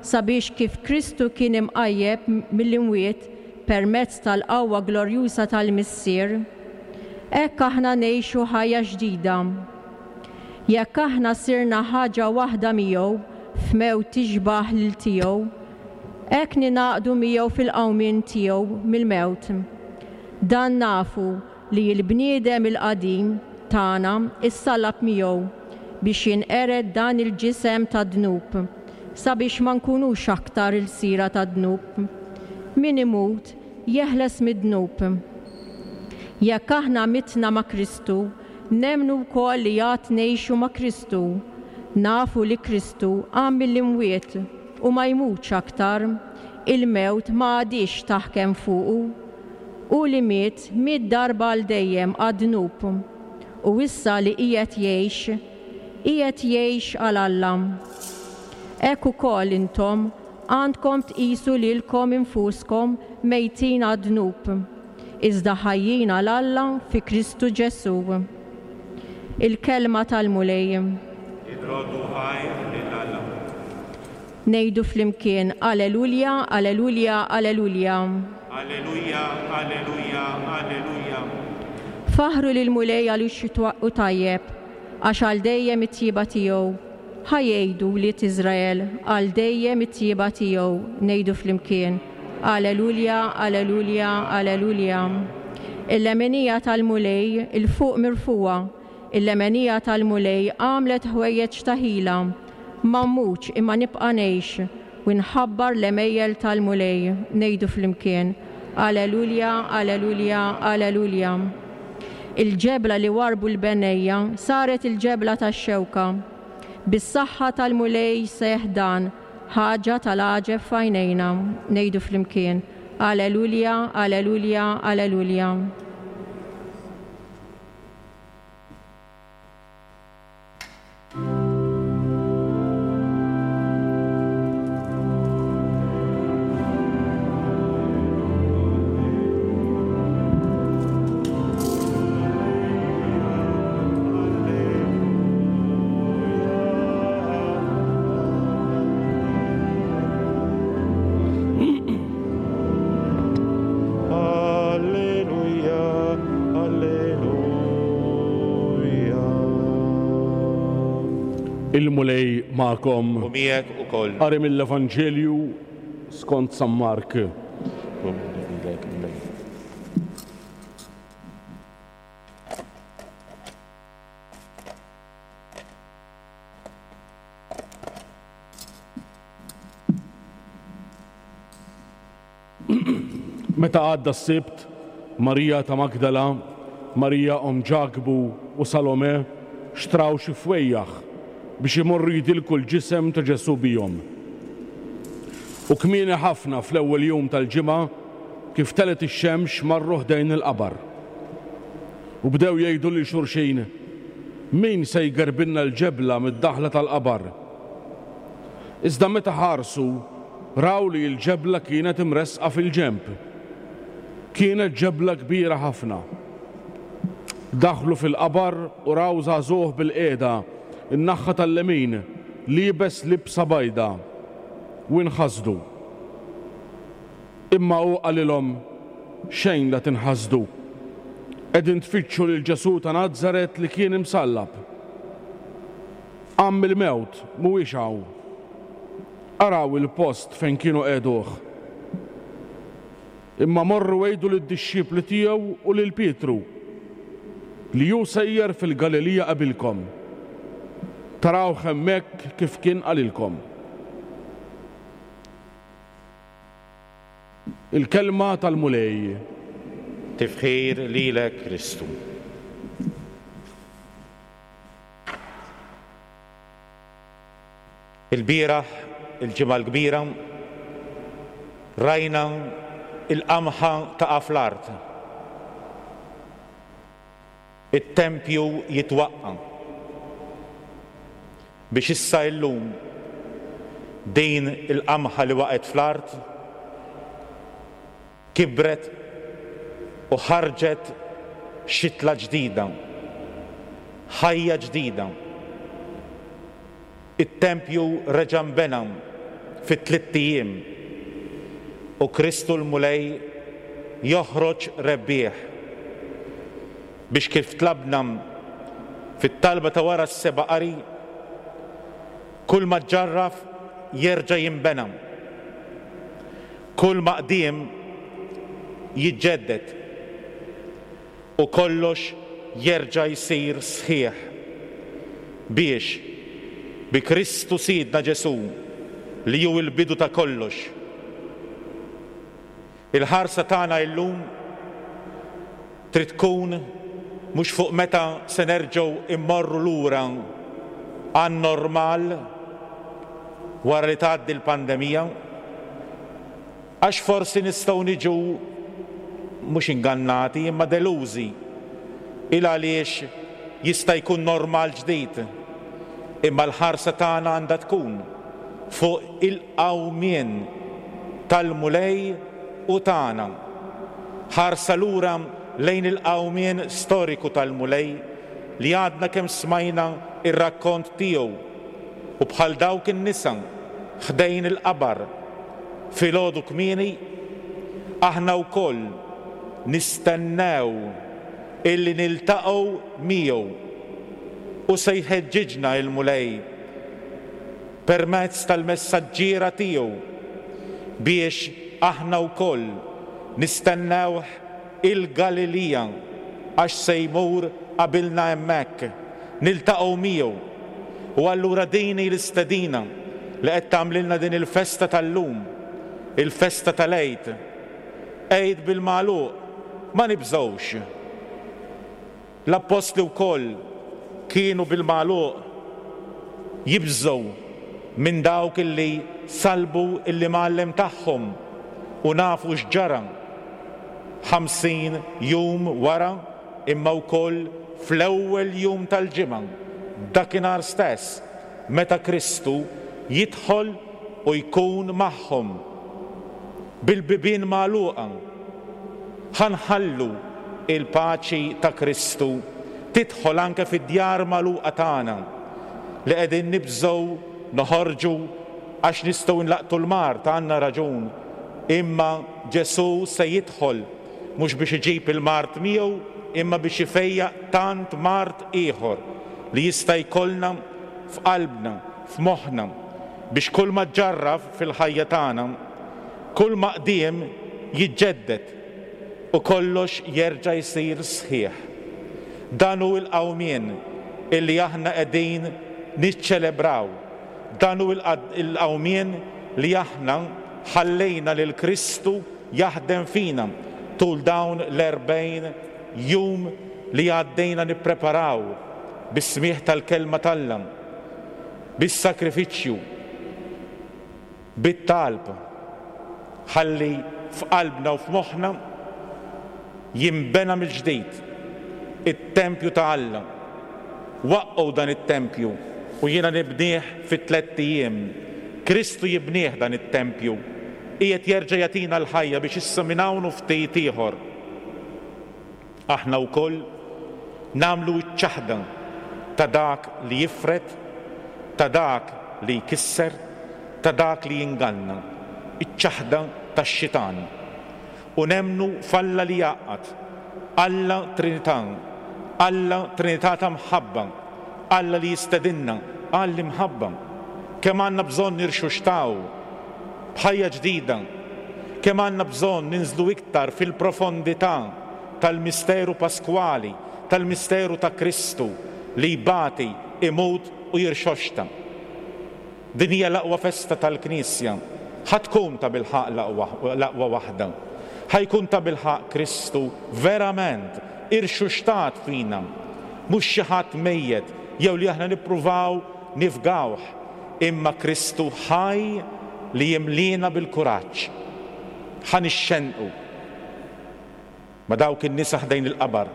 sabiex kif Kristu kien imqajjeb mill-imwiet permezz tal-qawwa glorjuża tal-Missier, hekk aħna ngħixu ħajja ġdida. Jekk aħna sirna ħaġa waħda miegħu f'mewt tixbaħ lil tiegħu, hekk ningħaqdu miegħu fil-qawmien tiegħu mill-mewt. Dan nafu li l-bniedem il-qadim tagħna issallab miegħu biex jinqered dan il-ġisem tad-dnub, sabiex ma nkunux aktar il-sira tad-dnub. Min imut jeħles mid-dnub. Jekk aħna mitna ma' Kristu, nemmnu wkoll li għad ngħixu ma' Kristu. Nafu li Kristu qam mill-imwiet u ma jmutx aktar, il-mewt ma għadhiex taħkem fuqu. Hu li miet, miet darba għal dejjem għad-dnub, u issa li qiegħed jgħix, qiegħed jgħix għal Alla. Hekk ukoll intom għandkom tqisu lilkom infuskom mejtin għad-dnub, iżda ħajjin għal Alla fi Kristu Ġesù. Il-kelma tal-Mulej. Irroddu ħajr lil Alla. Ngħidu flimkien Alleluja, Alleluja, Alleluja. Alleluja, Alleluja, Alleluja. Faħru lil Mulej għaliex hu tajjeb, għax għal dejjem it-tjieba tiegħu. Ħa jgħidu wlied Iżrael għal dejjem it-tjieba tiegħu. Ngħidu flimkien Alleluja, Alleluja, Alleluja. Il-lemenija tal-Mulej il-fuq mirfuha, il-lemenija tal-Mulej għamlet ħwejjeġ ta' ħila. Ma mmutx imma nibqa' ngħix u nħabbar l-għemejjel tal-Mulej. Ngħidu flimkien Alleluja, Alleluja, Alleluja. Il-ġebla li warbu l-bennejja saret il-ġebla tax-xewka. Bis-saħħa tal-Mulej seħħ dan, ħaġa tal-għaġeb f'għajnejna. Ngħidu flimkien Alleluja, Alleluja, Alleluja. Alleluja, Alleluja. Il-Mulej magħkom. U miegħek ukoll. Qari mill-Evanġelju skont San Mark. Meta għadda s-Sibt, Marija ta' Magdala, Marija omm Ġakbu u Salome xtraw xi fwejjaħ biex imorru jidilku l-ġisem ta' Ġesù bihom. U kmieni ħafna fl-ewwel jum tal-ġimgħa, kif telet ix-xemx, marru ħdejn il-qabar. U bdew jgħidu lil xulxin, min se jgerbilna l-ġebla mid-daħla tal-qabar? Iżda meta ħarsu, raw li l-ġebla kienet imresqa fil-ġenb. Kienet ġebla kbira ħafna. Daħlu fil-qabar u raw żagħżugħ bil-qiegħda, in-naħa tal-lemin, liebes libsa bajda, u inħasdu. Imma hu qalilhom, xejn la tinħasdu. Qegħdin tfittxu lil Ġesù ta' Nazaret li kien imsallab. Qam mill-mewt, mhuwiex hawn. Araw il-post fejn kienu qiegħduh. Imma morru għidu lid-dixxipli tiegħu u lil Pietru li hu sejjer fil-Galilija qabilkom. Tarawh hemmhekk kif kien qalilkom. Il-kelma tal-Mulej. Tifħir lilek Kristu. Il-bieraħ, il-ġimgħa l-kbira, rajna il-qamħa taqa' fl-art. It-tempju jitwaqqa' biex issa illum din il-qamħa li waqgħet fl-art kibret u ħarġet xitla ġdida, ħajja ġdida. It-tempju reġa' nbena fi tliet ijiem u Kristu l-Mulej joħroġ rebbieħ biex kif tlabna fit-talba ta' wara s-seba' qari, kull ma ġġarraf jerġa' jinbena, kull ma qdiem jiġġedded u kollox jerġa' jsir sħiħ biex bi Kristu Sidna Ġesù li hu l-bidu ta' kollox. Il-ħarsa tagħna illum trid tkun mhux fuq meta se nerġgħu immorru lura għan-normal wara li tgħaddi l-pandemija, għax forsi nistgħu niġu mhux ingannati imma delużi il għaliex jista' jkun normal ġdid, imma l-ħarsa tagħna għandha tkun fuq il-qawmien tal-Mulej u tagħna. Ħarsa lura lejn il-qawmien storiku tal-Mulej li għadna kemm smajna ir-rakkont tiegħu, u bħal dawk in-nisa ħdejn il-qabar filgħodu kmieni, aħna wkoll nistennew illi niltaqgħu miegħu, u se jħeġġiġna il-Mulej permezz tal-messaġġiera tiegħu biex aħna wkoll nistennewh il-Galilija, għax se jmur qabilna hemmhekk, niltaqgħu miegħu. U allura din hi l-istedina li qed tagħmlilna din il-festa tal-lum, il-festa tal-Għid. Għid bil-magħluq, ma nibżgħux. L-appostli wkoll kienu bil-magħluq jibżgħu minn dawk illi salbu l-imgħallem tagħhom, u nafu x'ġara ħamsin jum wara, imma wkoll fl-ewwel jum tal-ġimgħa, dakinhar stess meta Kristu jidħol u jkun magħhom bil-bibien magħluqa. Ħa nħallu il-paċi ta' Kristu tidħol anke fid-djar magħluqa tagħna li qegħdin nibżgħu noħorġu għax nistgħu nlaqtu l-mard, għandna raġun, imma Ġesù se jidħol mhux biex iġib il-mard miegħu, imma biex ifejjaq tant mard ieħor li jista' jkollna f'qalbna, f'moħħna, biex kull ma ġġarraf fil-ħajja tagħna, kull ma qdiem jiġġedded u kollox jerġa' jsir sħiħ. Dan hu l-qawmien illi aħna qegħdin niċċelebraw. Dan hu l-qawmien li aħna ħallejna lil Kristu jaħdem fina tul dawn l-erbgħin jum li għaddejna nippreparaw bis-smieħ tal-kelma t'Alla, bis-sakrifiċċju, bit-talb, ħalli f'qalbna u f'moħħna jinbena mill-ġdid it-tempju ta' Alla. Waqqgħu dan it-tempju u jiena nibnieh fi tlett ijiem. Kristu jibnieh dan it-tempju, qiegħed jerġa' jagħtina l-ħajja biex issa minn hawn u ftit ieħor aħna wkoll nagħmlu ċ-ċaħda ta' dak li jifred, ta' dak li jkisser, ta' dak li jinganna, iċ-ċaħda tax-xitan. U nemmnu f'Alla li jgħaqqad, Alla Trinità, Alla Trinità ta' mħabba, Alla li jistedinna għall-imħabba. Kemm għandna bżonn nirxuxtaw b'ħajja ġdida, kemm għandna bżonn ninżlu iktar fil-profondità tal-misteru paskwali, tal-misteru ta' Kristu li jbati, imut u jirxoxta. Din hija l-aqwa festa tal-Knisja. Ħa tkun ta' bilħaqq l-aqwa waħda. Ħa jkun ta' bilħaqq Kristu verament irxuxtat fina, mhux xi ħadd mejjet jew li aħna nippruvaw nifgawh, imma Kristu ħaj li jimlina bil-kuraġġ. Ħa nixxenqu ma' dawk in-nisa ħdejn il-qabar.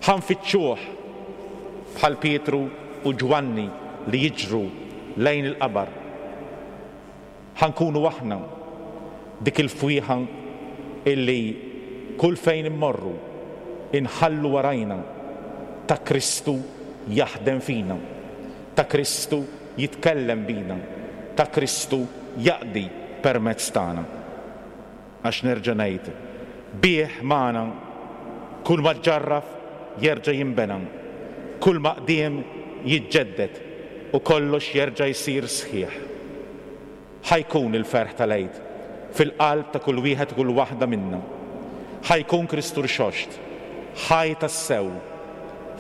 Ħa nfittxuh bħal Pietru u Ġwanni li jiġru lejn il-qabar. Ħa nkunu aħna dik il-fwieħa illi kull fejn immorru inħallu warajna ta' Kristu jaħdem fina, ta' Kristu jitkellem bina, ta' Kristu jaqdi permezz tagħna. Għax nerġa' ngħid, bih magħna kull ma ġġarraf jerġa' jinbena, kull ma qdiem jiġġedded u kollox jerġa' jsir sħiħ. Ħa jkun il-ferħ tal-Għid fil-qalb ta' kull wieħed u kull waħda minna. Ħa jkun Kristu rxoxt, ħaj tassew,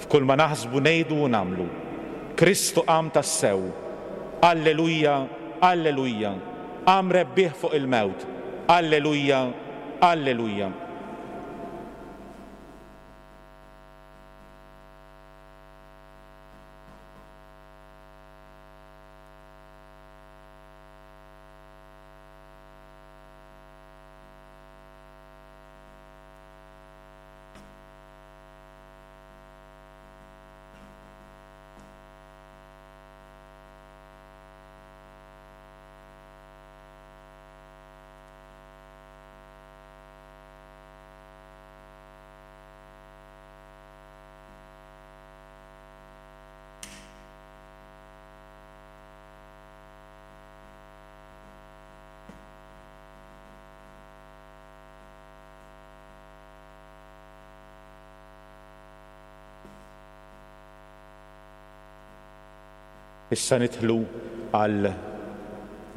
f'kull ma naħsbu, ngħidu u nagħmlu. Kristu qam tassew. Alleluja, alleluja. Qam rebbieħ fuq il-mewt. Alleluja, alleluja. Issa nidħlu għal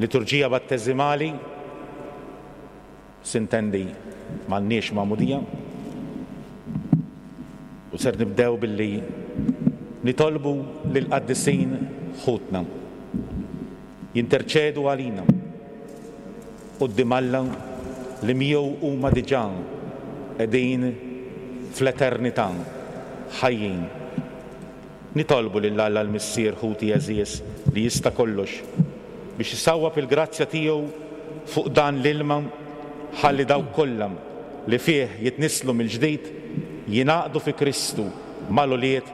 liturġija batteżimali, sintendi m'għandniex magħmudija. U ser nibdew billi nitolbu lill-qaddisin ħutna jinterċedu għalina quddiem Alla li miegħu huma diġà qegħdin fl-eternità ħajjin. Nitolbu lil Alla l-Missier ħuti għeżież li jista' kollox biex isawwab il-grazzja tiegħu fuq dan l-ilma ħalli dawk kollha li fih jitnisslu mill-ġdid jingħaqdu fi Kristu mal-ulied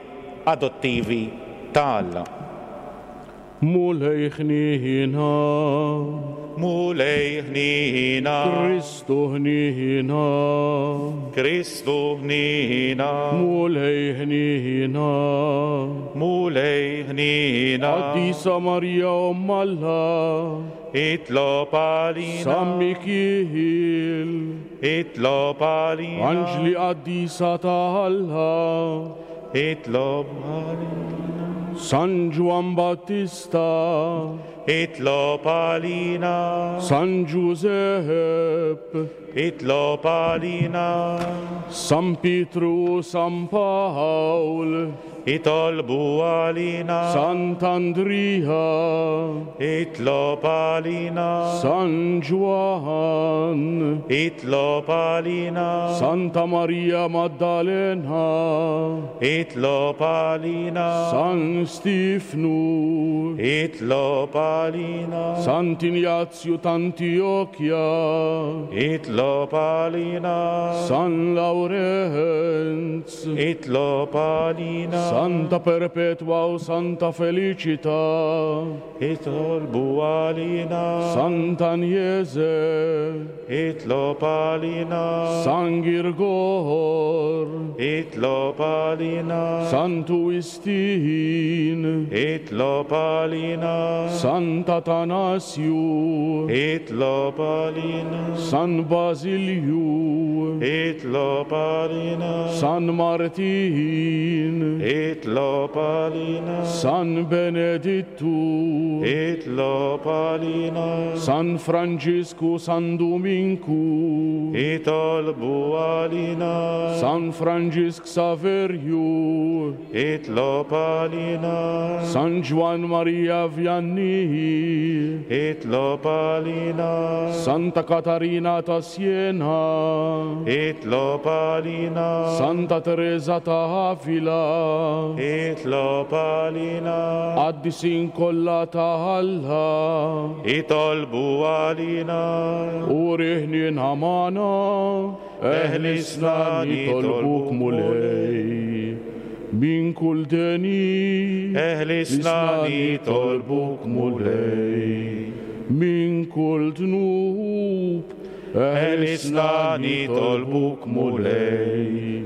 adottivi ta' Alla. Mulej ħnina, Mulej ħnina, Kristu ħnina, Kristu ħnina, Mulej ħnina, Mulej ħnina, Qaddisa Marija Omm Alla, itlob għalina, San Mikiel, itlob għalina, Anġli Qaddisa ta' Alla, itlob għalina, San Ġwann Battista, itlob għalina, San Ġużepp, itlob għalina, San Pietru, San Pawl, itolbu għalina, Sant'Andrija, itlob għalina, San Ġwann, itlob għalina, Santa Maria Maddalena, itlob għalina, San Stifnu, itlob għalina, Sant'Injazju t'Antiochja, itlob għalina, San Lawrenz, itlob għalina, Santa Perpetua u Santa Felicita, itolbu għalina, Sant'Agnese, itlob għalina, San Girgor, itlob għalina, Santu Wistin, itlob għalina, Sant'Atanasju, itlob għalina, San Basilju, itlob għalina, San Martin, itlob għalina, San Benedittu, itlob għalina, San Franġisku, San Duminku, itolbu għalina, San Franġisk Saverju, itlob għalina, San Ġwann Maria Vianney, itlob għalina, Santa Katarina ta' Siena, itlob għalina, Santa Teresa ta' Avila, itlob għalina, Qaddisin kollha ta' Alla, itolbu għalina, Uri ħnina magħna, eħlisna nitolbuk Mulej. Min kull deni, eħlisna nitolbuk Mulej, min kull dnub, eħlisna nitolbuk Mulej,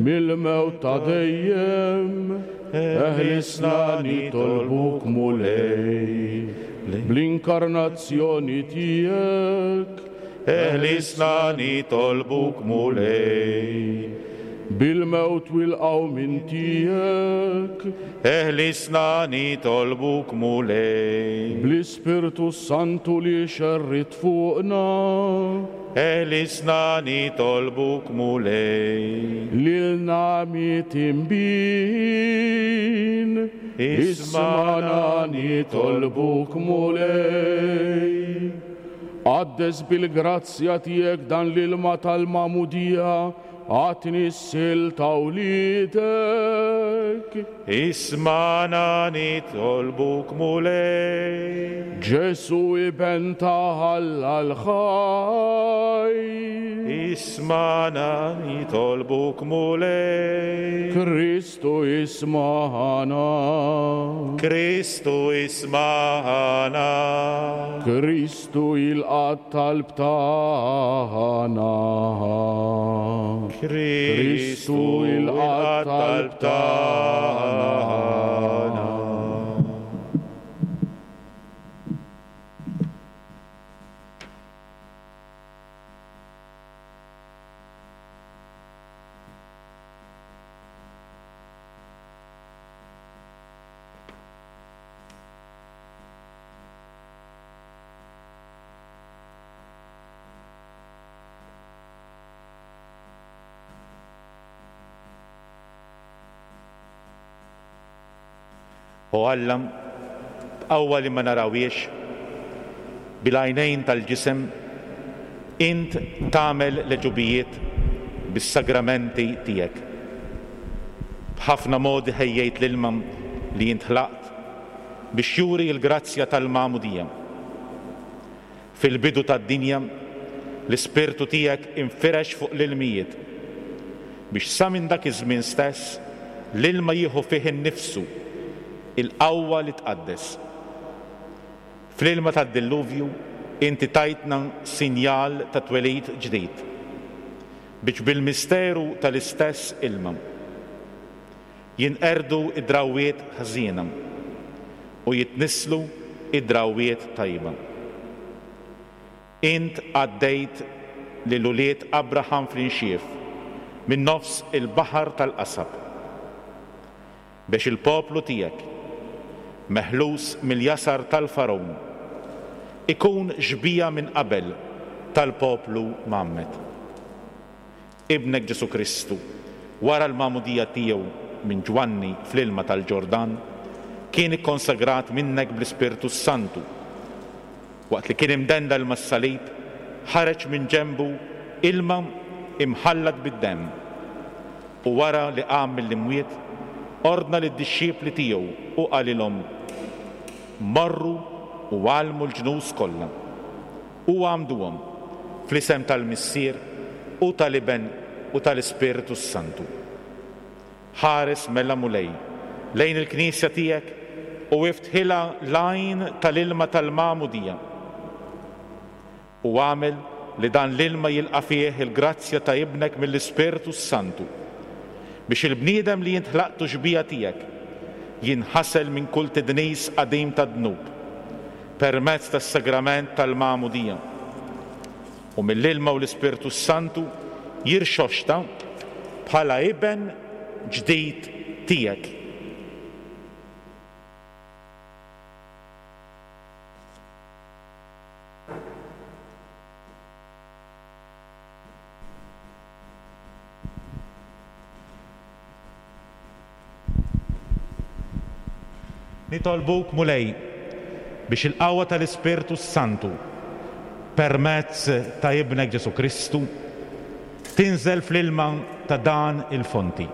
mill-mewt ta' dejjem, eħlisna nitolbuk Mulej. Bl-inkarnazzjoni tiegħek, eħlisna nitolbuk Mulej, bil-mewt u l-qawmien tiegħek, eħlisna nitolbuk Mulej, bl-Ispirtu Santu li xerrit fuqna, eħlisna nitolbuk Mulej, lilna mitinbin, ismana nitolbuk Mulej. Qaddes bil-grazzja tiegħek dan l-ilma tal-magħmudija, għatni s-sil ta' wliedek. Ismana nitolbuk Mulej, Ġesu iben ta' Alla l-ħaj, ismana nitolbuk Mulej, Kristu ismana, Kristu ismana, Kristu jilqa' t-talb tagħna. Kristu jilqa' t-talb tagħna. O Alla, b'qawwa li ma narawhiex bil-għajnejn tal-ġisem, int tagħmel l-għeġubijiet bis-sagramenti tiegħek. B'ħafna modi ħejjejt l-ilma li int ħlaqt biex juri l-grazzja tal-magħmudija. Fil-bidu tad-dinja, l-Ispirtu tiegħek infirex fuq l-ilmijiet biex sa minn dak iż-żmien stess l-ilma jieħu fih innifsu il-qawwa li tqaddes. Fl-ilma tad-dilluvju inti tajtna sinjal ta' twelid ġdid biex bil-misteru tal-istess ilma jinqerdu id-drawwiet ħżiena u jitnisslu id-drawwiet tajba. Int għaddejt lil ulied Abraham fl-inxief minn nofs il-baħar tal-qasab biex il-poplu tiegħek meħlus mill-jasar tal-Fargħun ikun xbieha minn qabel tal-poplu mgħammed. Ibnek Ġesù Kristu, wara l-magħmudija tiegħu minn Ġwanni fl-ilma tal-Ġordan, kien ikkonsagrat minnek bl-Ispirtu Santu. Waqt li kien imdendel mas-salib, ħareġ minn ġenbu ilma imħallat bid-demm. U wara li qam mill-imwiet, ordna lid-dixxipli tiegħu u qalilhom: Morru u għallmu l-ġnus kollha u għammduhom fl-isem tal-Missier u tal-Iben u tal-Ispirtu Santu. Ħares mela Mulej lejn il-Knisja tiegħek u iftħilha l-għajn tal-ilma tal-magħmudija u għamel li dan l-ilma jilqa' fih il-grazzja ta' Ibnek mill-Ispirtu Santu biex il-bniedem li int ħlaqtu xbieha tiegħek jinħasel minn kull tidnis qadim tad-dnub permezz tas-sagrament tal-magħmudija u mill-ilma u l-Ispirtu Santu jirxoxta bħala iben ġdid tiegħek. Nitolbuk Mulej biex il-qawwa tal-Ispirtu Santu permezz ta' Ibnek Ġesù Kristu tinżel fl-ilma ta' dan il-fonti.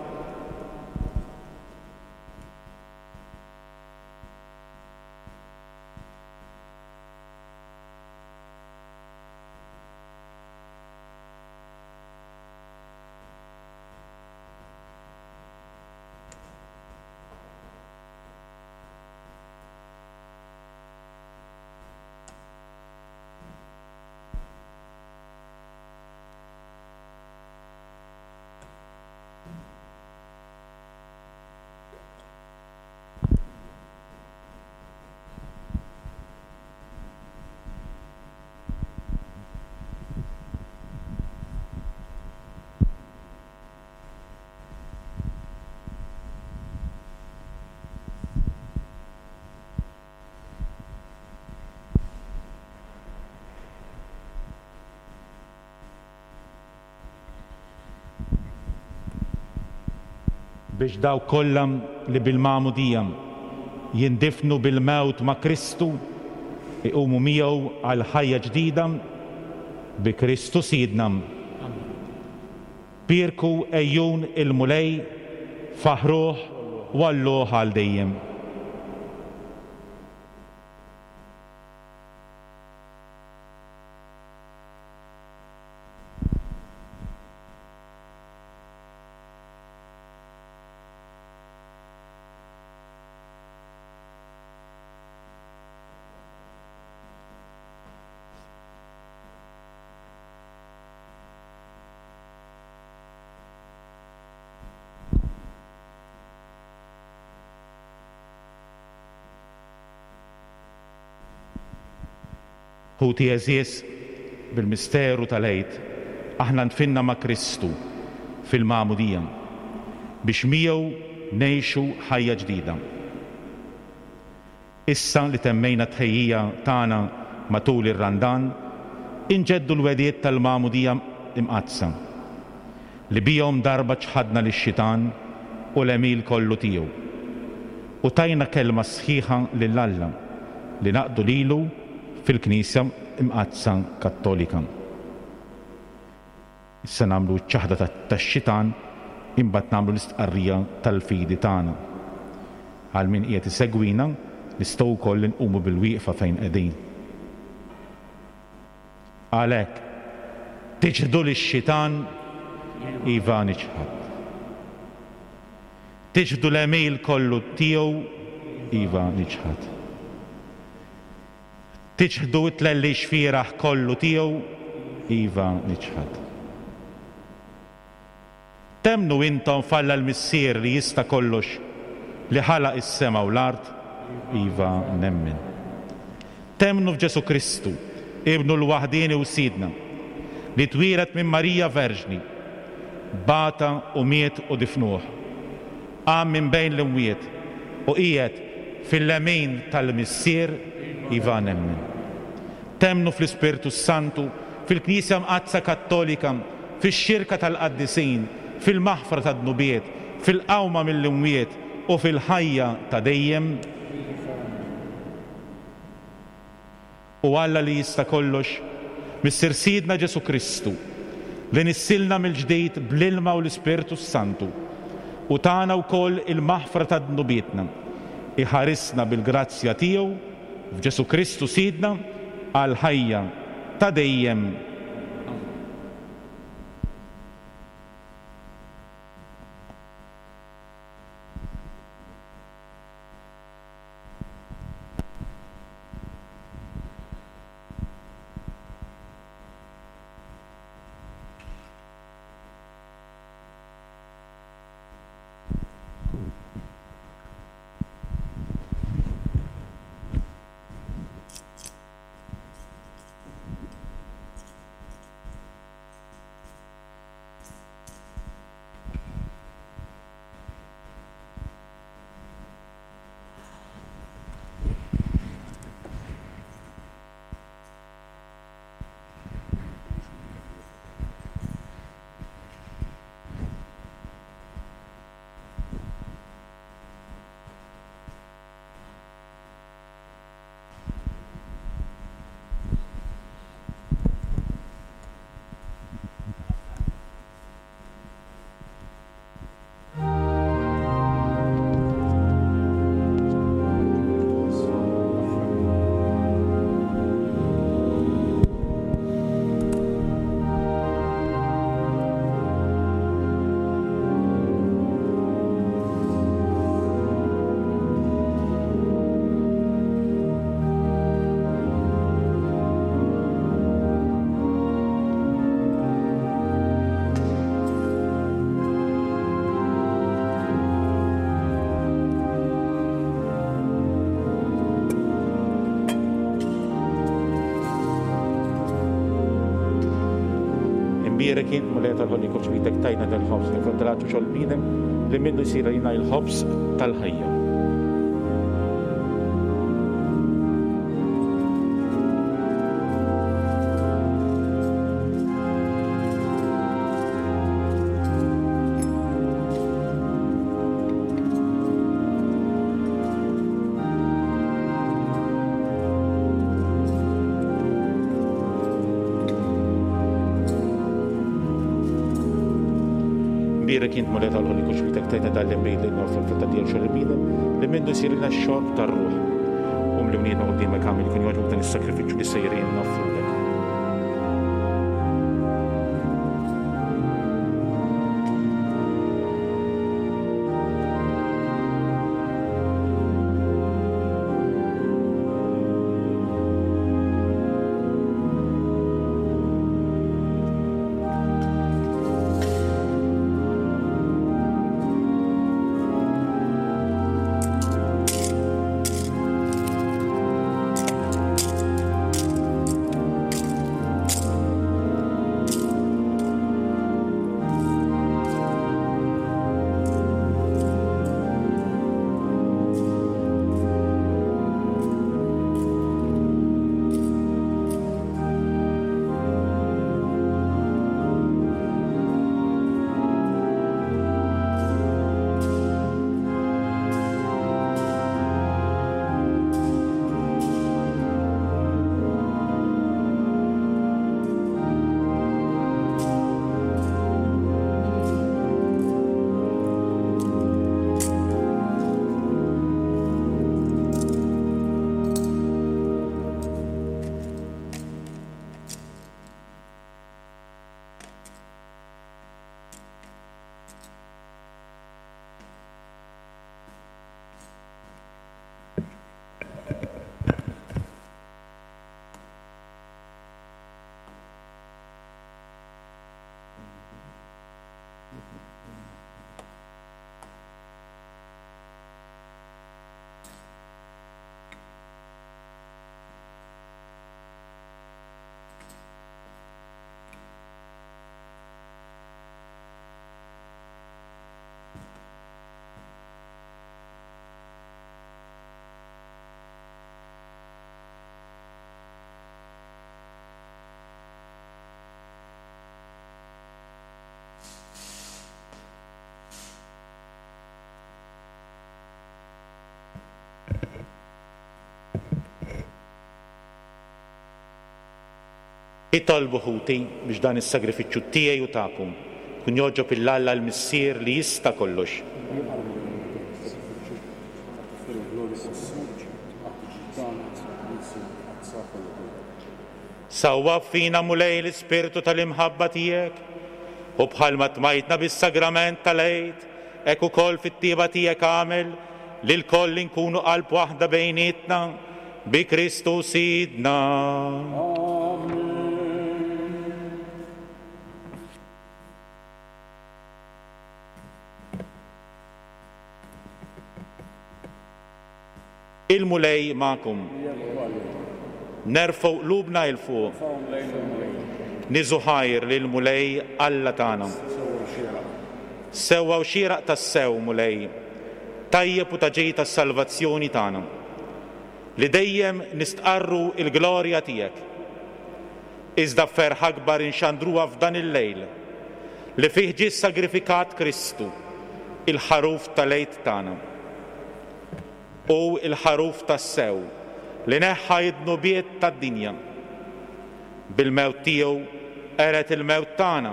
Biex dawk kollha li bil-magħmudija jindifnu bil-mewt ma' Kristu iqumu miegħu għal ħajja ġdida bi Kristu Sidna. Bierku ejjun il-Mulej, faħruh u għalluh għal dejjem. Ħuti għeżież, bil-misteru tal-Għid aħna ndfinna ma' Kristu fil-magħmudija biex miegħu ngħixu ħajja ġdida. Issa li temmejna t-tħejjija tagħna matul ir-Randan, inġeddu l-wegħdiet tal-magħmudija imqaddsa li bihom darba ċħadna lix-xitan u l-għemil kollu tiegħu u tajna kelma sħiħa lil Alla li naqdu lilu fil-Knisja Imqaddsa Kattolika. Issa nagħmlu ċ-ċaħda tax-xitan, imbagħad nagħmlu l-istqarrija tal-fidi tagħna. Għal min qiegħed isegwina, nistgħu wkoll inqumu bil-wieqfa fejn qegħdin. Għalhekk, tiċħdu lix-xitan, iva niċħad. Tiċħdu l-għemil kollu tiegħu, iva niċħad. Tiċħdu t-tlellix fieraħ kollu tiegħu, iva niċħad. Temmnu intom f'Alla l-Missier li jista' kollox, li ħalaq is-sema u l-art, iva nemmen. Temmnu f'Ġesu Kristu, ibnu l-waħdieni u Sidna, li twieled minn Marija Verġni, bata u miet u difnuh, qam minn bejn l-imwiet u qiegħed fil-lemin tal-Missier, iva nemmen. Temmnu fl-Ispirtu Santu, fil-Knisja Mqaddsa Kattolika, fix-xirka tal-qaddisin, fil-maħfra tad-dnubiet, fil-qawma mill-imwiet u fil-ħajja ta' dejjem. U Alla li jista' kollox, Missier Sidna Ġesu Kristu, li nissilna mill-ġdid bl-ilma u l-Ispirtu Santu, u tana wkoll il-maħfra ta' dnubietna, iħarisna bil-grazzja tiegħu f'Ġesu Kristu Sidna għal ħajja ta' dejjem. Imbierek int, Mulej tal-ħolqien kull xbitek tajna del-ħobż, li frott tal-għatx u xogħol bniedem, li minnu jsir għalina il-ħobż tal-ħajja. Imbierek int, Mulej tal-ħolqien kull xbitek tajna dal-inbid li nofru frott tad-dija u xogħol il-bniedem, li minnu jsir lilna x-xorb tar-ruħ. U mlimnietna quddiemek għamil jkun jogħġbok dan is-sakrifiċċju li sejrin noffrulek. Itolbu ħuti biex dan is-sagrifiċċju tiegħi u tagħkom kun jogħġob lil Alla l-Missier li jista' kollox. Sawwab fina Mulej l-Ispirtu tal-imħabba tiegħek u bħalma tmajtna bis-sagrament tal-Għid, hekk ukoll fit-tieba tiegħek għamel li lkoll inkunu qalb waħda bejnietna bi Kristu Sidna. Il-Mulej magħkom. Nerfgħu qlubna 'l fuq. Niżu ħajr lil Mulej Alla tagħna. Sewwa u xieraq tassew, Mulej, tajjeb u ta' ġid tas-salvazzjoni tagħna, li dejjem nistqarru l-glorja tiegħek. Iżda b'ferħ akbar inxandruha f'dan il-lejl li fih ġie sagrifikat Kristu, il-ħaruf tal-Għid tagħna. U il-ħaruf tassew li neħħa id-dnubiet tad-dinja. Bil-mewt tiegħu qeret il-mewt tagħna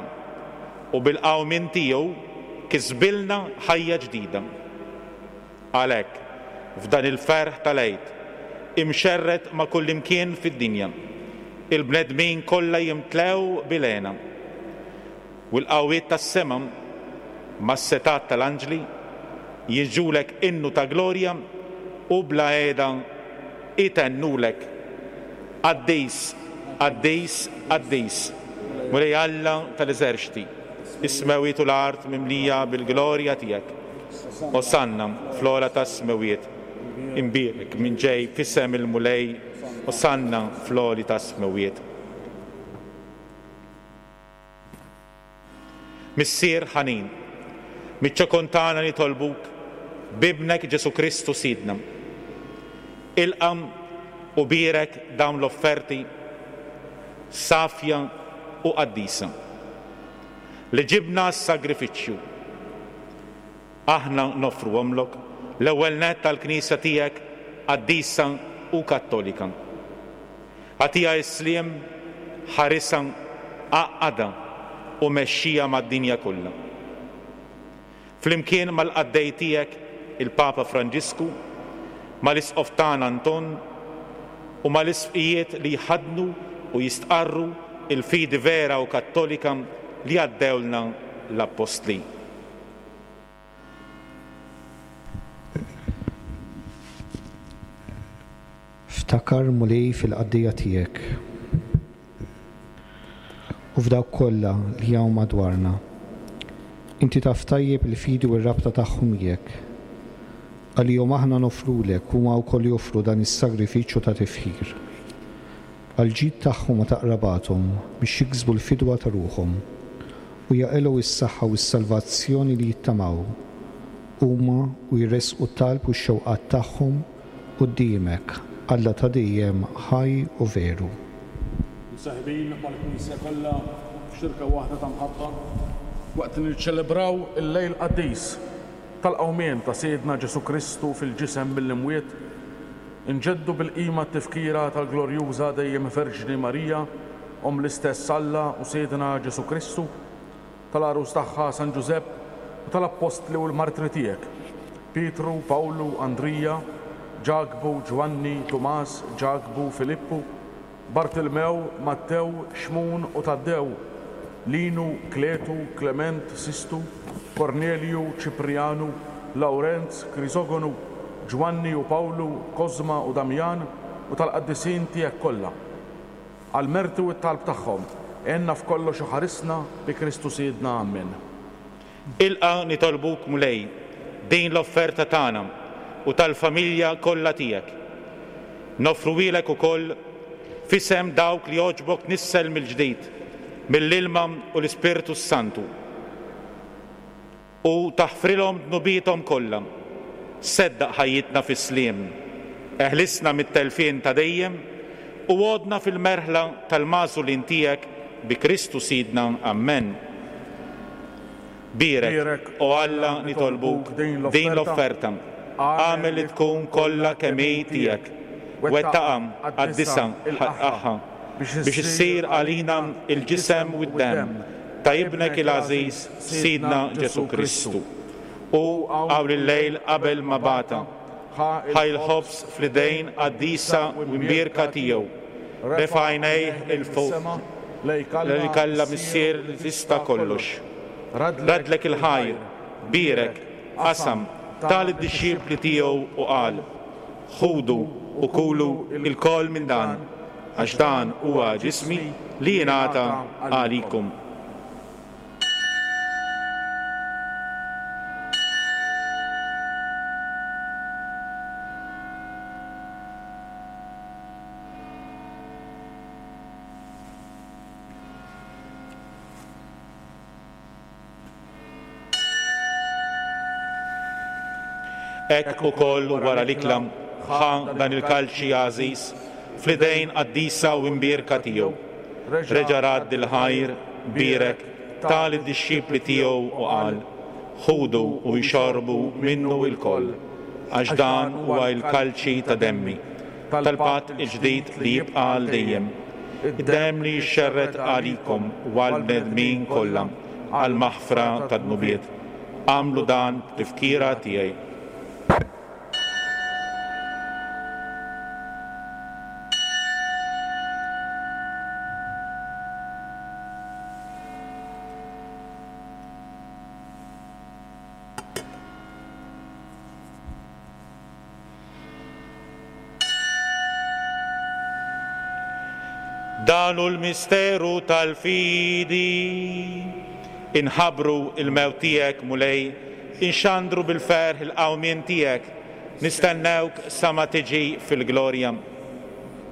u bil-qawmien tiegħu kisbilna ħajja ġdida. Għalhekk, f'dan il-ferħ tal-Għid, imxerred ma' kullimkien fid-dinja, il-bnedmin kollha jimtlew bil-hena. U l-qawwiet tas-sema mas-setat tal-anġli jiġulek innu ta' glorja u bla qiegħda itennulek. Qaddis, qaddis, qaddis, Mulej Alla tal-eżerċti, is-smewwiet u l-art mimlija bil-glorja tiegħek. Osanna fl-ogħla tas-smewwiet, imbierek min ġej f'isem il-Mulej, Osanna fl-għoli tas-smewwiet. Missier ħanin, miċ-ċokon tagħna nitolbuk b'ibnek Ġesù Kristu Sidna. Ilqam u bierek dawn l-offerti safja u qaddisa li ġibna s-sagrifiċċju. Aħna noffruhomlok l-ewwel nett tal-Knisja tiegħek qaddisa u kattolika. Agħtiha s-sliem, ħarisha, għaqqadha u mexxija mad-dinja kollha. Flimkien mal-qaddej tiegħek il-Papa Franġisku, mal-Isqof tagħna Anton u mal-isqfijiet li jħaddnu u jistqarru il-fidi vera u kattolika li għaddewlna l-Appostli. Ftakar Mulej fil-qaddejja tiegħek u f'dawk kollha li hawn madwarna. Inti taf tajjeb il-fidi u r-rabta tagħhom miegħek. Għalihom aħna nofrulek huma wkoll joffru dan is-sagrifiċċju ta' tifħir. Għall-ġid tagħhom u ta' qrabathom biex jiksbu l-fidwa ta' ruħhom u jaqilgħu s-saħħa u s-salvazzjoni li jittamaw huma u jressqu t-talb u x-xewqat tagħhom quddiemek, Alla ta' dejjem ħaj u veru. Msaħbin mal-Knisja kollha f'xirka waħda ta' mħabba waqt li niċċelebraw il-lejl qaddis tal-qawmien ta' Sidna Ġesù Kristu fil-ġisem mill-imwiet, inġeddu bil-qima t-tifkira tal-glorjuża dejjem Verġni Marija, Omm l-istess Alla u Sidna Ġesù Kristu, tal-għarus tagħha San Ġużepp u tal-appostli u l-martri tiegħek, Pietru, Pawlu, Andrija, Ġakbu, Ġwanni, Tumas, Ġakbu, Filippu, Bartilmew, Mattew, Xmun u Taddew, Linu, Kletu, Klement, Sistu, Kornelju, Ċiprianu, Lawrenz, Krisogonu, Ġwanni u Pawlu, Kosma u Damjan u tal-qaddisin tiegħek kollha. Għall-merti u t-talb tagħhom, għenna f'kollox u ħarisna bi Kristu Sidna. Amen. Ilqa nitolbuk Mulej din l-offerta tagħna u tal-familja kollha tiegħek. Noffruhielek ukoll f'isem dawk li jogħġbok nissel mill-ġdid mill-ilma u l-Ispirtu s-Santu u taħfrilhom dnubiethom kollha. Seddaq ħajjitna fis-sliem, eħlisna mit-telfien ta' dejjem u għodna fil-merħla tal-magħżulin tiegħek bi Kristu Sidna. Amen. Bierek, o Alla, nitolbuk din l-offerta. Agħmel li tkun kollha kemm hi tiegħek. Wettaqha, qaddisha, ħaqqaha biex issir għalina il-ġisem u d-demm ta' ibnek il-għażiż Sidna Ġesù Kristu. U hawn il-lejl qabel ma bata, ħa l-ħobż fl-idejn qaddisa u mbierka tiegħu, refa' għajnejh 'il fuq lejk Alla Missier li tista' kollox. Radlek il-ħajr, bierek, qasam, ta lid-dixxipli tiegħu u qal: Ħudu u kulu lkoll minn dan, għax dan huwa ġismi li jingħata għalikom. Hekk ukoll wara l-ikla ħa dan il-kalċi għażiż fl-idejn qaddisa u mbierka tiegħu. Reġa' radd il-ħajr, bierek, ta lid-dixxipli tiegħu u qal: Ħudu u jxorbu minnu lkoll, għax dan huwa l-kalċi ta' demmi, tal-patt il-ġdid li jibqa' għal dejjem, id-demm li jixxerred għalikom u għall-bnedmin kollha għall-maħfra tad-dnubiet. Agħmlu dan b'tifkira tiegħi. Dan hu l-misteru tal-fidi. Inħabbru il-mewt tiegħek, Mulej, inxandru bil-ferħ il-qawmien tiegħek, nistennewk sa ma tiġi fil-glorja.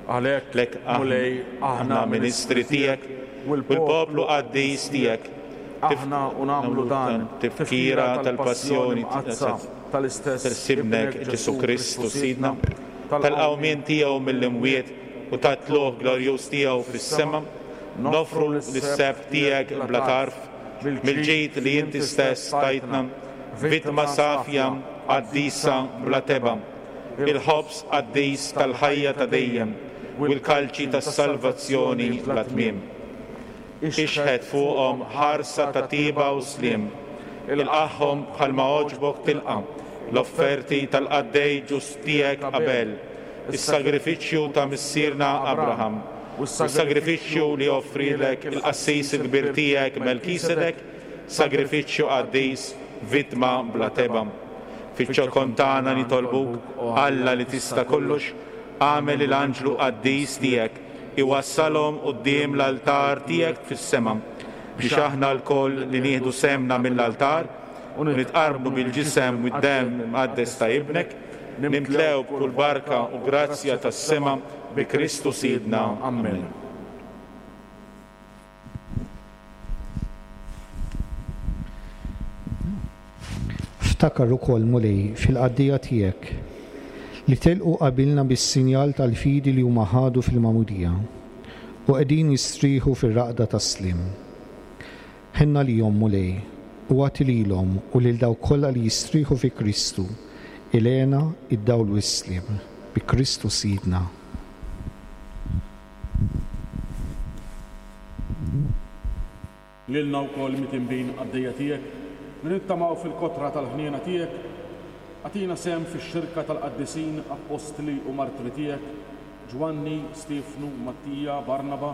Għalhekk, Mulej, aħna ministri tiegħek u l-poplu qaddis tiegħek, aħna u nagħmlu dan tifkira tal-passjoni mqaddsa tal-istess Ibnek Ġesù Kristu Sidna, tal-qawmien tiegħu mill-imwiet u tat-tlugħ glorjuż tiegħu fis-sema, noffru lis-sebħ tiegħek bla tarf, mill-ġid li inti stess tajtna, vittma safja, qaddisa bla tebgħa, il-ħobż qaddis tal-ħajja ta' dejjem u l-kalċi tas-salvazzjoni bla tmiem. Ixħet fuqhom ħarsa ta' tiba u sliem, ilqagħhom bħalma għoġbok tilqa' l-offerti tal-qaddej ġust tiegħek Abel, is-sagrifiċċju ta' missierna Abraham, u s-sagrifiċċju li offrilek il-qassis il-kbir tiegħek Melkisedek, sagrifiċċju qaddis, vittma bla tebgħa. Fiċ-ċokon tagħna nitolbuk, Alla li tista' kollox, agħmel il-anġlu qaddis tiegħek iwassalhom quddiem l-altar tiegħek fis-sema, biex aħna lkoll li nieħdu semna mill-altar u nitqarbnu bil-ġisem u d-demm imqaddes ta' ibnek, nimtlew b'kull barka u grazzja tas-sema bi Kristu Sidna. Amen. Ftakar ukoll, Mulej, fil-qaddejja tiegħek li telqu qabilna bis-sinjal tal-fidi li huma ħadu fil-magħmudija u qegħdin jistrieħu fir-raqda tas-sliem. Ħenna lihom, Mulej, u agħti lilhom u lil dawk kollha li jistrieħu fi Kristu il-hena, id-dawl u s-sliem. Bi Kristu Sidna. Lilna wkoll mitinbin qaddejja tiegħek li nittamaw fil-kotra tal-ħniena tiegħek, agħtina sehem fix-xirka tal-qaddisin, appostli u martri tiegħek, Ġwanni, Stiefnu, Mattija, Barnaba,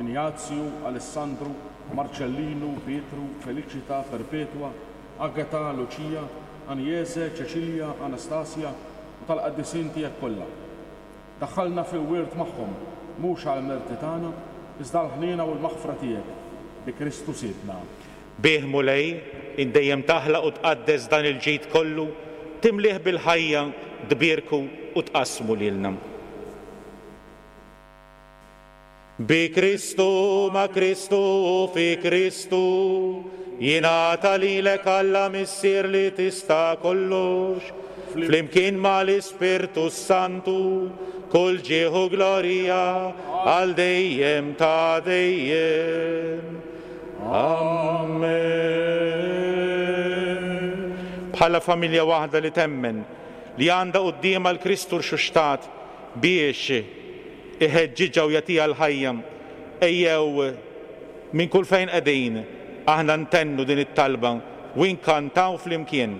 Injazju, Alessandru, Marċellinu, Pietru, Felicita, Perpetua, Agata, Lucia, Anjese, Ċeċilja, Anastasia u tal-qaddisin tiegħek kollha. Daħħalna fil-wirt magħhom, mhux għall-merti tagħna, iżda l-ħniena u l-maħfra tiegħek, bi Kristu Sidna. Bih, Mulej, int dejjem taħlaq u tqaddes dan il-ġid kollu, timlih bil-ħajja, tbierku u tqassmu lilna. Bi Kristu, ma' Kristu u fi Kristu, jingħata lilek Alla Missier li tista' kollox, flimkien mal-Ispirtu Santu, kull ġieħ u glorja għal dejjem ta' dejjem. Amen. Bħala familja waħda li temmen li għandha quddiemha l-Kristu rxuxtat biex iħeġġiġha u jagħtiha l-ħajja. Ejjew minn kull fejn qegħdin aħna ntennu din it-talba u nkantaw flimkien.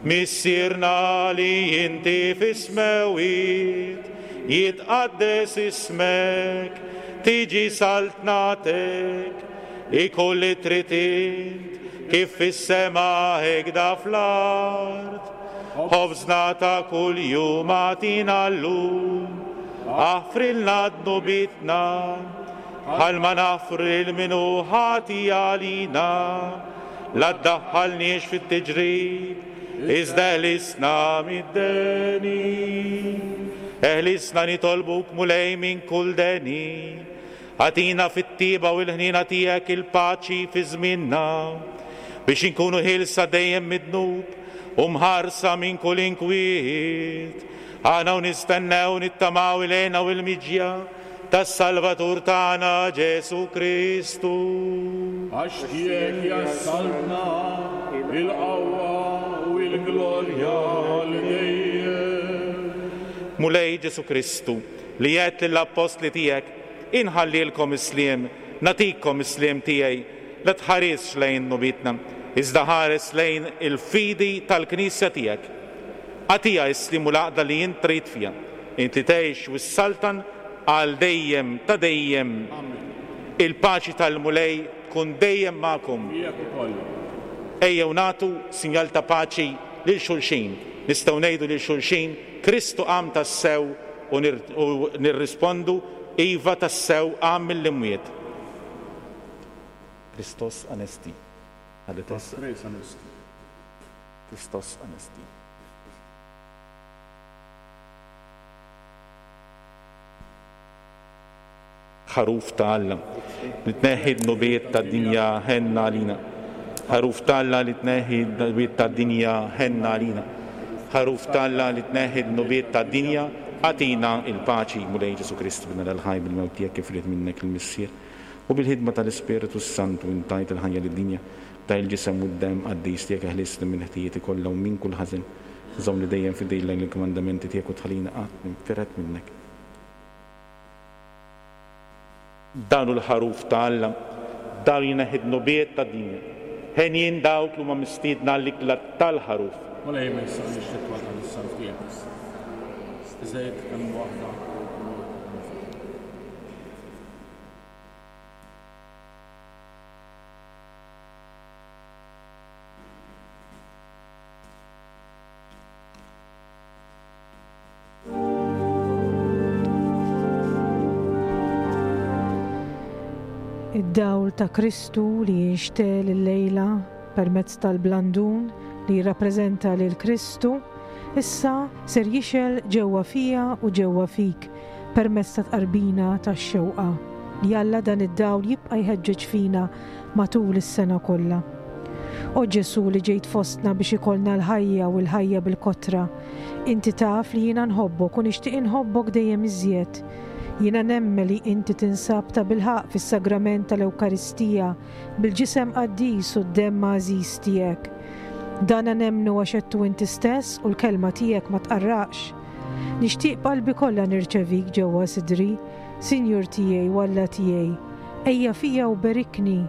Missierna li inti fis-smewwiet, jitqaddes ismek, tiġi saltnatek, ikun li trid int, kif fis-sema hekk fl-art. Ħobżna ta' kuljum agħtina llum, aħfrilna dnubietna, bħalma naħfru lil min hu ħati għalina, la ddaħħalniex fit-tiġrib, iżda eħlisna mid-deni. Eħlisna nitolbuk Mulej minn kull deni, agħtina fit-tjieba u l-ħniena tiegħek il-paċi fi żmienna, biex inkunu ħielsa dejjem mid-dnub u mħarsa minn kull inkwiet. Aħna u nistennew nittamaw il-hena u l-miġja tas-Salvatur tagħna Ġesu Kristu. Għax tiegħek hija s-saltna, il-qawwa u l-glorja għal dejjem. Mulej Ġesu Kristu, li għedt lill-appostli tiegħek, inħallilkom is-sliem, nagħtikom is-sliem tiegħi, la tħarisx lejn dnubietna, iżda ħares lejn il-fidi tal-Knisja tiegħek. Agħtiha s-sliem u l-għaqda li int trid fiha, int li tgħix u s-saltan għal dejjem ta' dejjem. Il-paċi tal-Mulej tkun dejjem magħkom. Ejjew nagħtu sinjal ta' paċi lil xulxin. Nistgħu ngħidu lil xulxin Kristu qam tassew u nirrispondu iva tassew qam mill-imwiet. Christos anesti. Christos anesti. Ħaruf ta' Alla li tneħħi d-dnubiet tad-dinja, ħenna għalina. Ħaruf ta' Alla li tneħħi d-dnubiet tad-dinja, ħenna għalina. Ħaruf ta' Alla li tneħħi d-dnubiet tad-dinja, agħtina il-paċi. Mulej Ġesu Kristu, bina l-ħaj bil-mewt tiegħek kif ried minnek il-Missier, u bil-ħidma tal-Ispiritu Santu intajt il-ħajja lid-dinja, ta' il-ġisem u d-demm qaddis tiegħek eħlisni minn ħtijieti kollha u minn kull ħażen. Żommni dejjem fidejn lejn il-kmandamenti tiegħek u tħallina qatt ninfired minnek. Dan hu l-ħaruf ta' Alla, dan jneħħi d-dnubiet tad-dinja. Henjin dawk li huma mistiedna għall-ikla tal-ħaruf. Mulej, ma jistgħux titwal is-salv tiegħek. Iżda jekk hemm waħda. Id-dawl ta' Kristu li jinxtel illejla permezz tal-blandun li jirrappreżenta lil Kristu, issa ser jixel ġewwa fija u ġewwa fik permezz ta' tqarbina tax-xewqa li Alla dan id-dawl jibqa' jħeġġeġ fina matul is-sena kollha. O Ġesu li ġejt fostna biex ikollna l-ħajja u l-ħajja bil-kotra, inti taf li jiena nħobbok u nixtieq inħobbok dejjem iżjed. Jiena nemmen li inti tinsab ta' bilħaqq fis-sagrament tal-Ewkaristija bil-ġisem qaddis u d-demm għażiż tiegħek. Dana nemmnu għax għedtu inti stess u l-kelma tiegħek ma tqarraqx. Nixtieq b'qalbi kollha nirċevik ġewwa sidri, Sinjur tiegħi u Alla tiegħi. Ejja fija u berikni,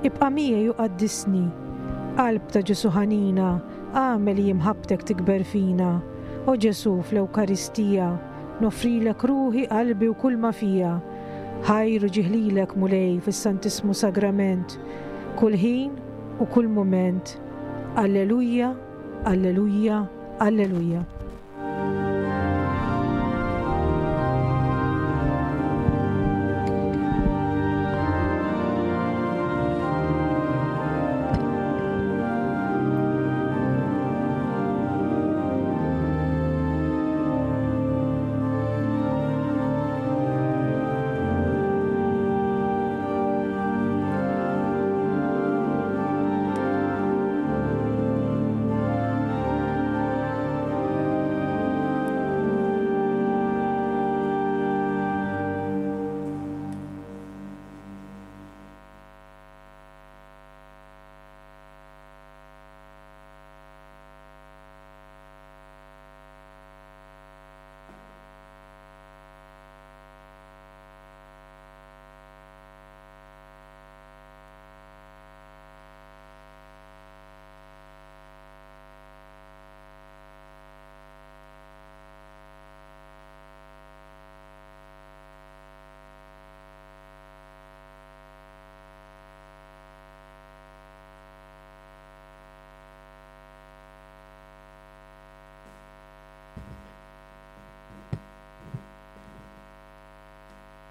ibqa' miegħi u qaddisni. Qalb ta' Ġesu ħanina, agħmel li imħabbtek tikber fina. O Ġesu fl-Ewkaristija, noffrilek ruħi, qalbi u kull ma fija. Ħajr u ġieħ lilek Mulej fis-Santissmu Sagrament, kull ħin u kull mument. Alleluja, alleluja, alleluja.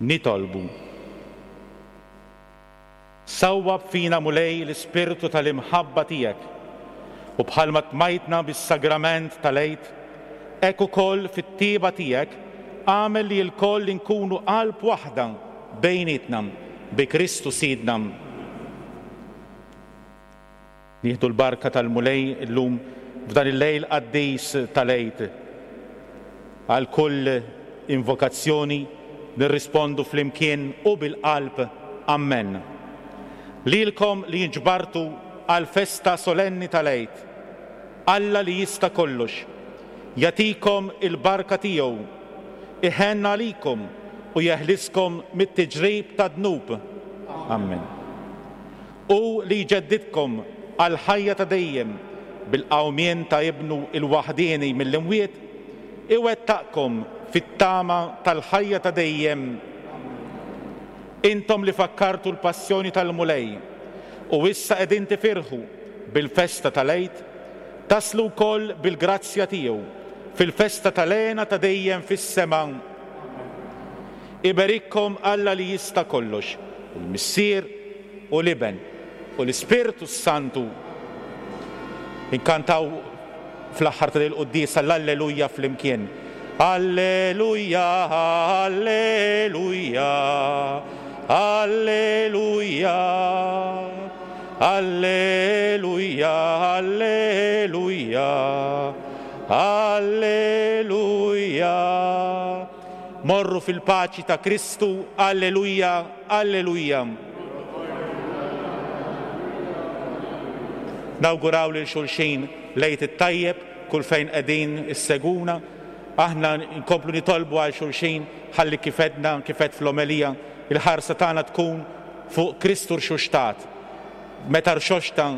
Nitolbu. Sawwab fina Mulej l-ispirtu tal-imħabba tiegħek u bħalma tmajtna bis-sagrament tal-Għid, hekk ukoll fit-tieba tiegħek għamel li lkoll inkunu qalb waħda bejnietna bi Kristu Sidna. Nieħdu l-barka tal-Mulej illum f'dan il-lejl qaddis tal-Għid. Għal kull invokazzjoni nirrispondu flimkien u bil-qalb Amen. Lilkom li nġbartu għal festa solenni tal-Għid, Alla li jista' kollox, jagħtikom il-barka tiegħu, iħenn għalikom u jeħliskom mit-tiġrib tad-dnub. Amen. U li jġeddidkom għal ħajja ta' dejjem bil-qawmien ta' ibnu il-waħdieni mill-imwiet, iwettaqkom fit-tama tal-ħajja ta' dejjem. Intom li fakkartu l-passjoni tal-Mulej u issa qegħdin tifirħu bil-festa tal-Għid, taslu wkoll bil-grazzja tiegħu fil-festa tal-hena ta' dejjem fis-sema. Iberikkom Alla li jista' kollox, il-Missier u l-Iben u l-Ispirtu s-Santu. Inkantaw fl-aħħar ta' il-quddiesa l-Alleluja flimkien. Alleluja, Alleluja, Alleluja, Alleluja, Alleluja, Alleluja. Morru fil-paċi ta' Kristu, Alleluja, Alleluja. Nawguraw lil xulxin l-Għid it-tajjeb kull fejn qegħdin isseguna. Aħna nkomplu nitolbu għal xulxin ħalli kif għedna, kif għedt fl-omelija, il-ħarsa tagħna tkun fuq Kristu rxuxtat. Meta rxoxta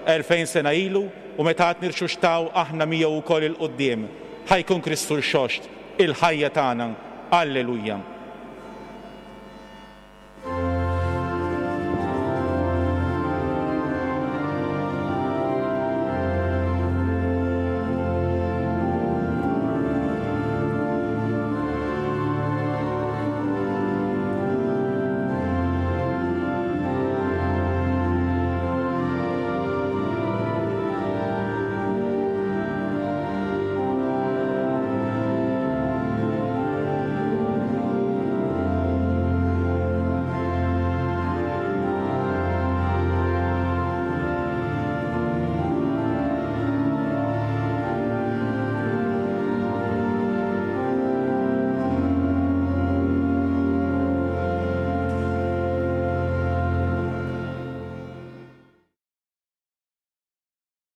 elfejn sena ilu u meta għad nirxuxtaw aħna miegħu wkoll il-quddiem. Ħajkun Kristu rxoxt il-ħajja tagħna. Alleluja.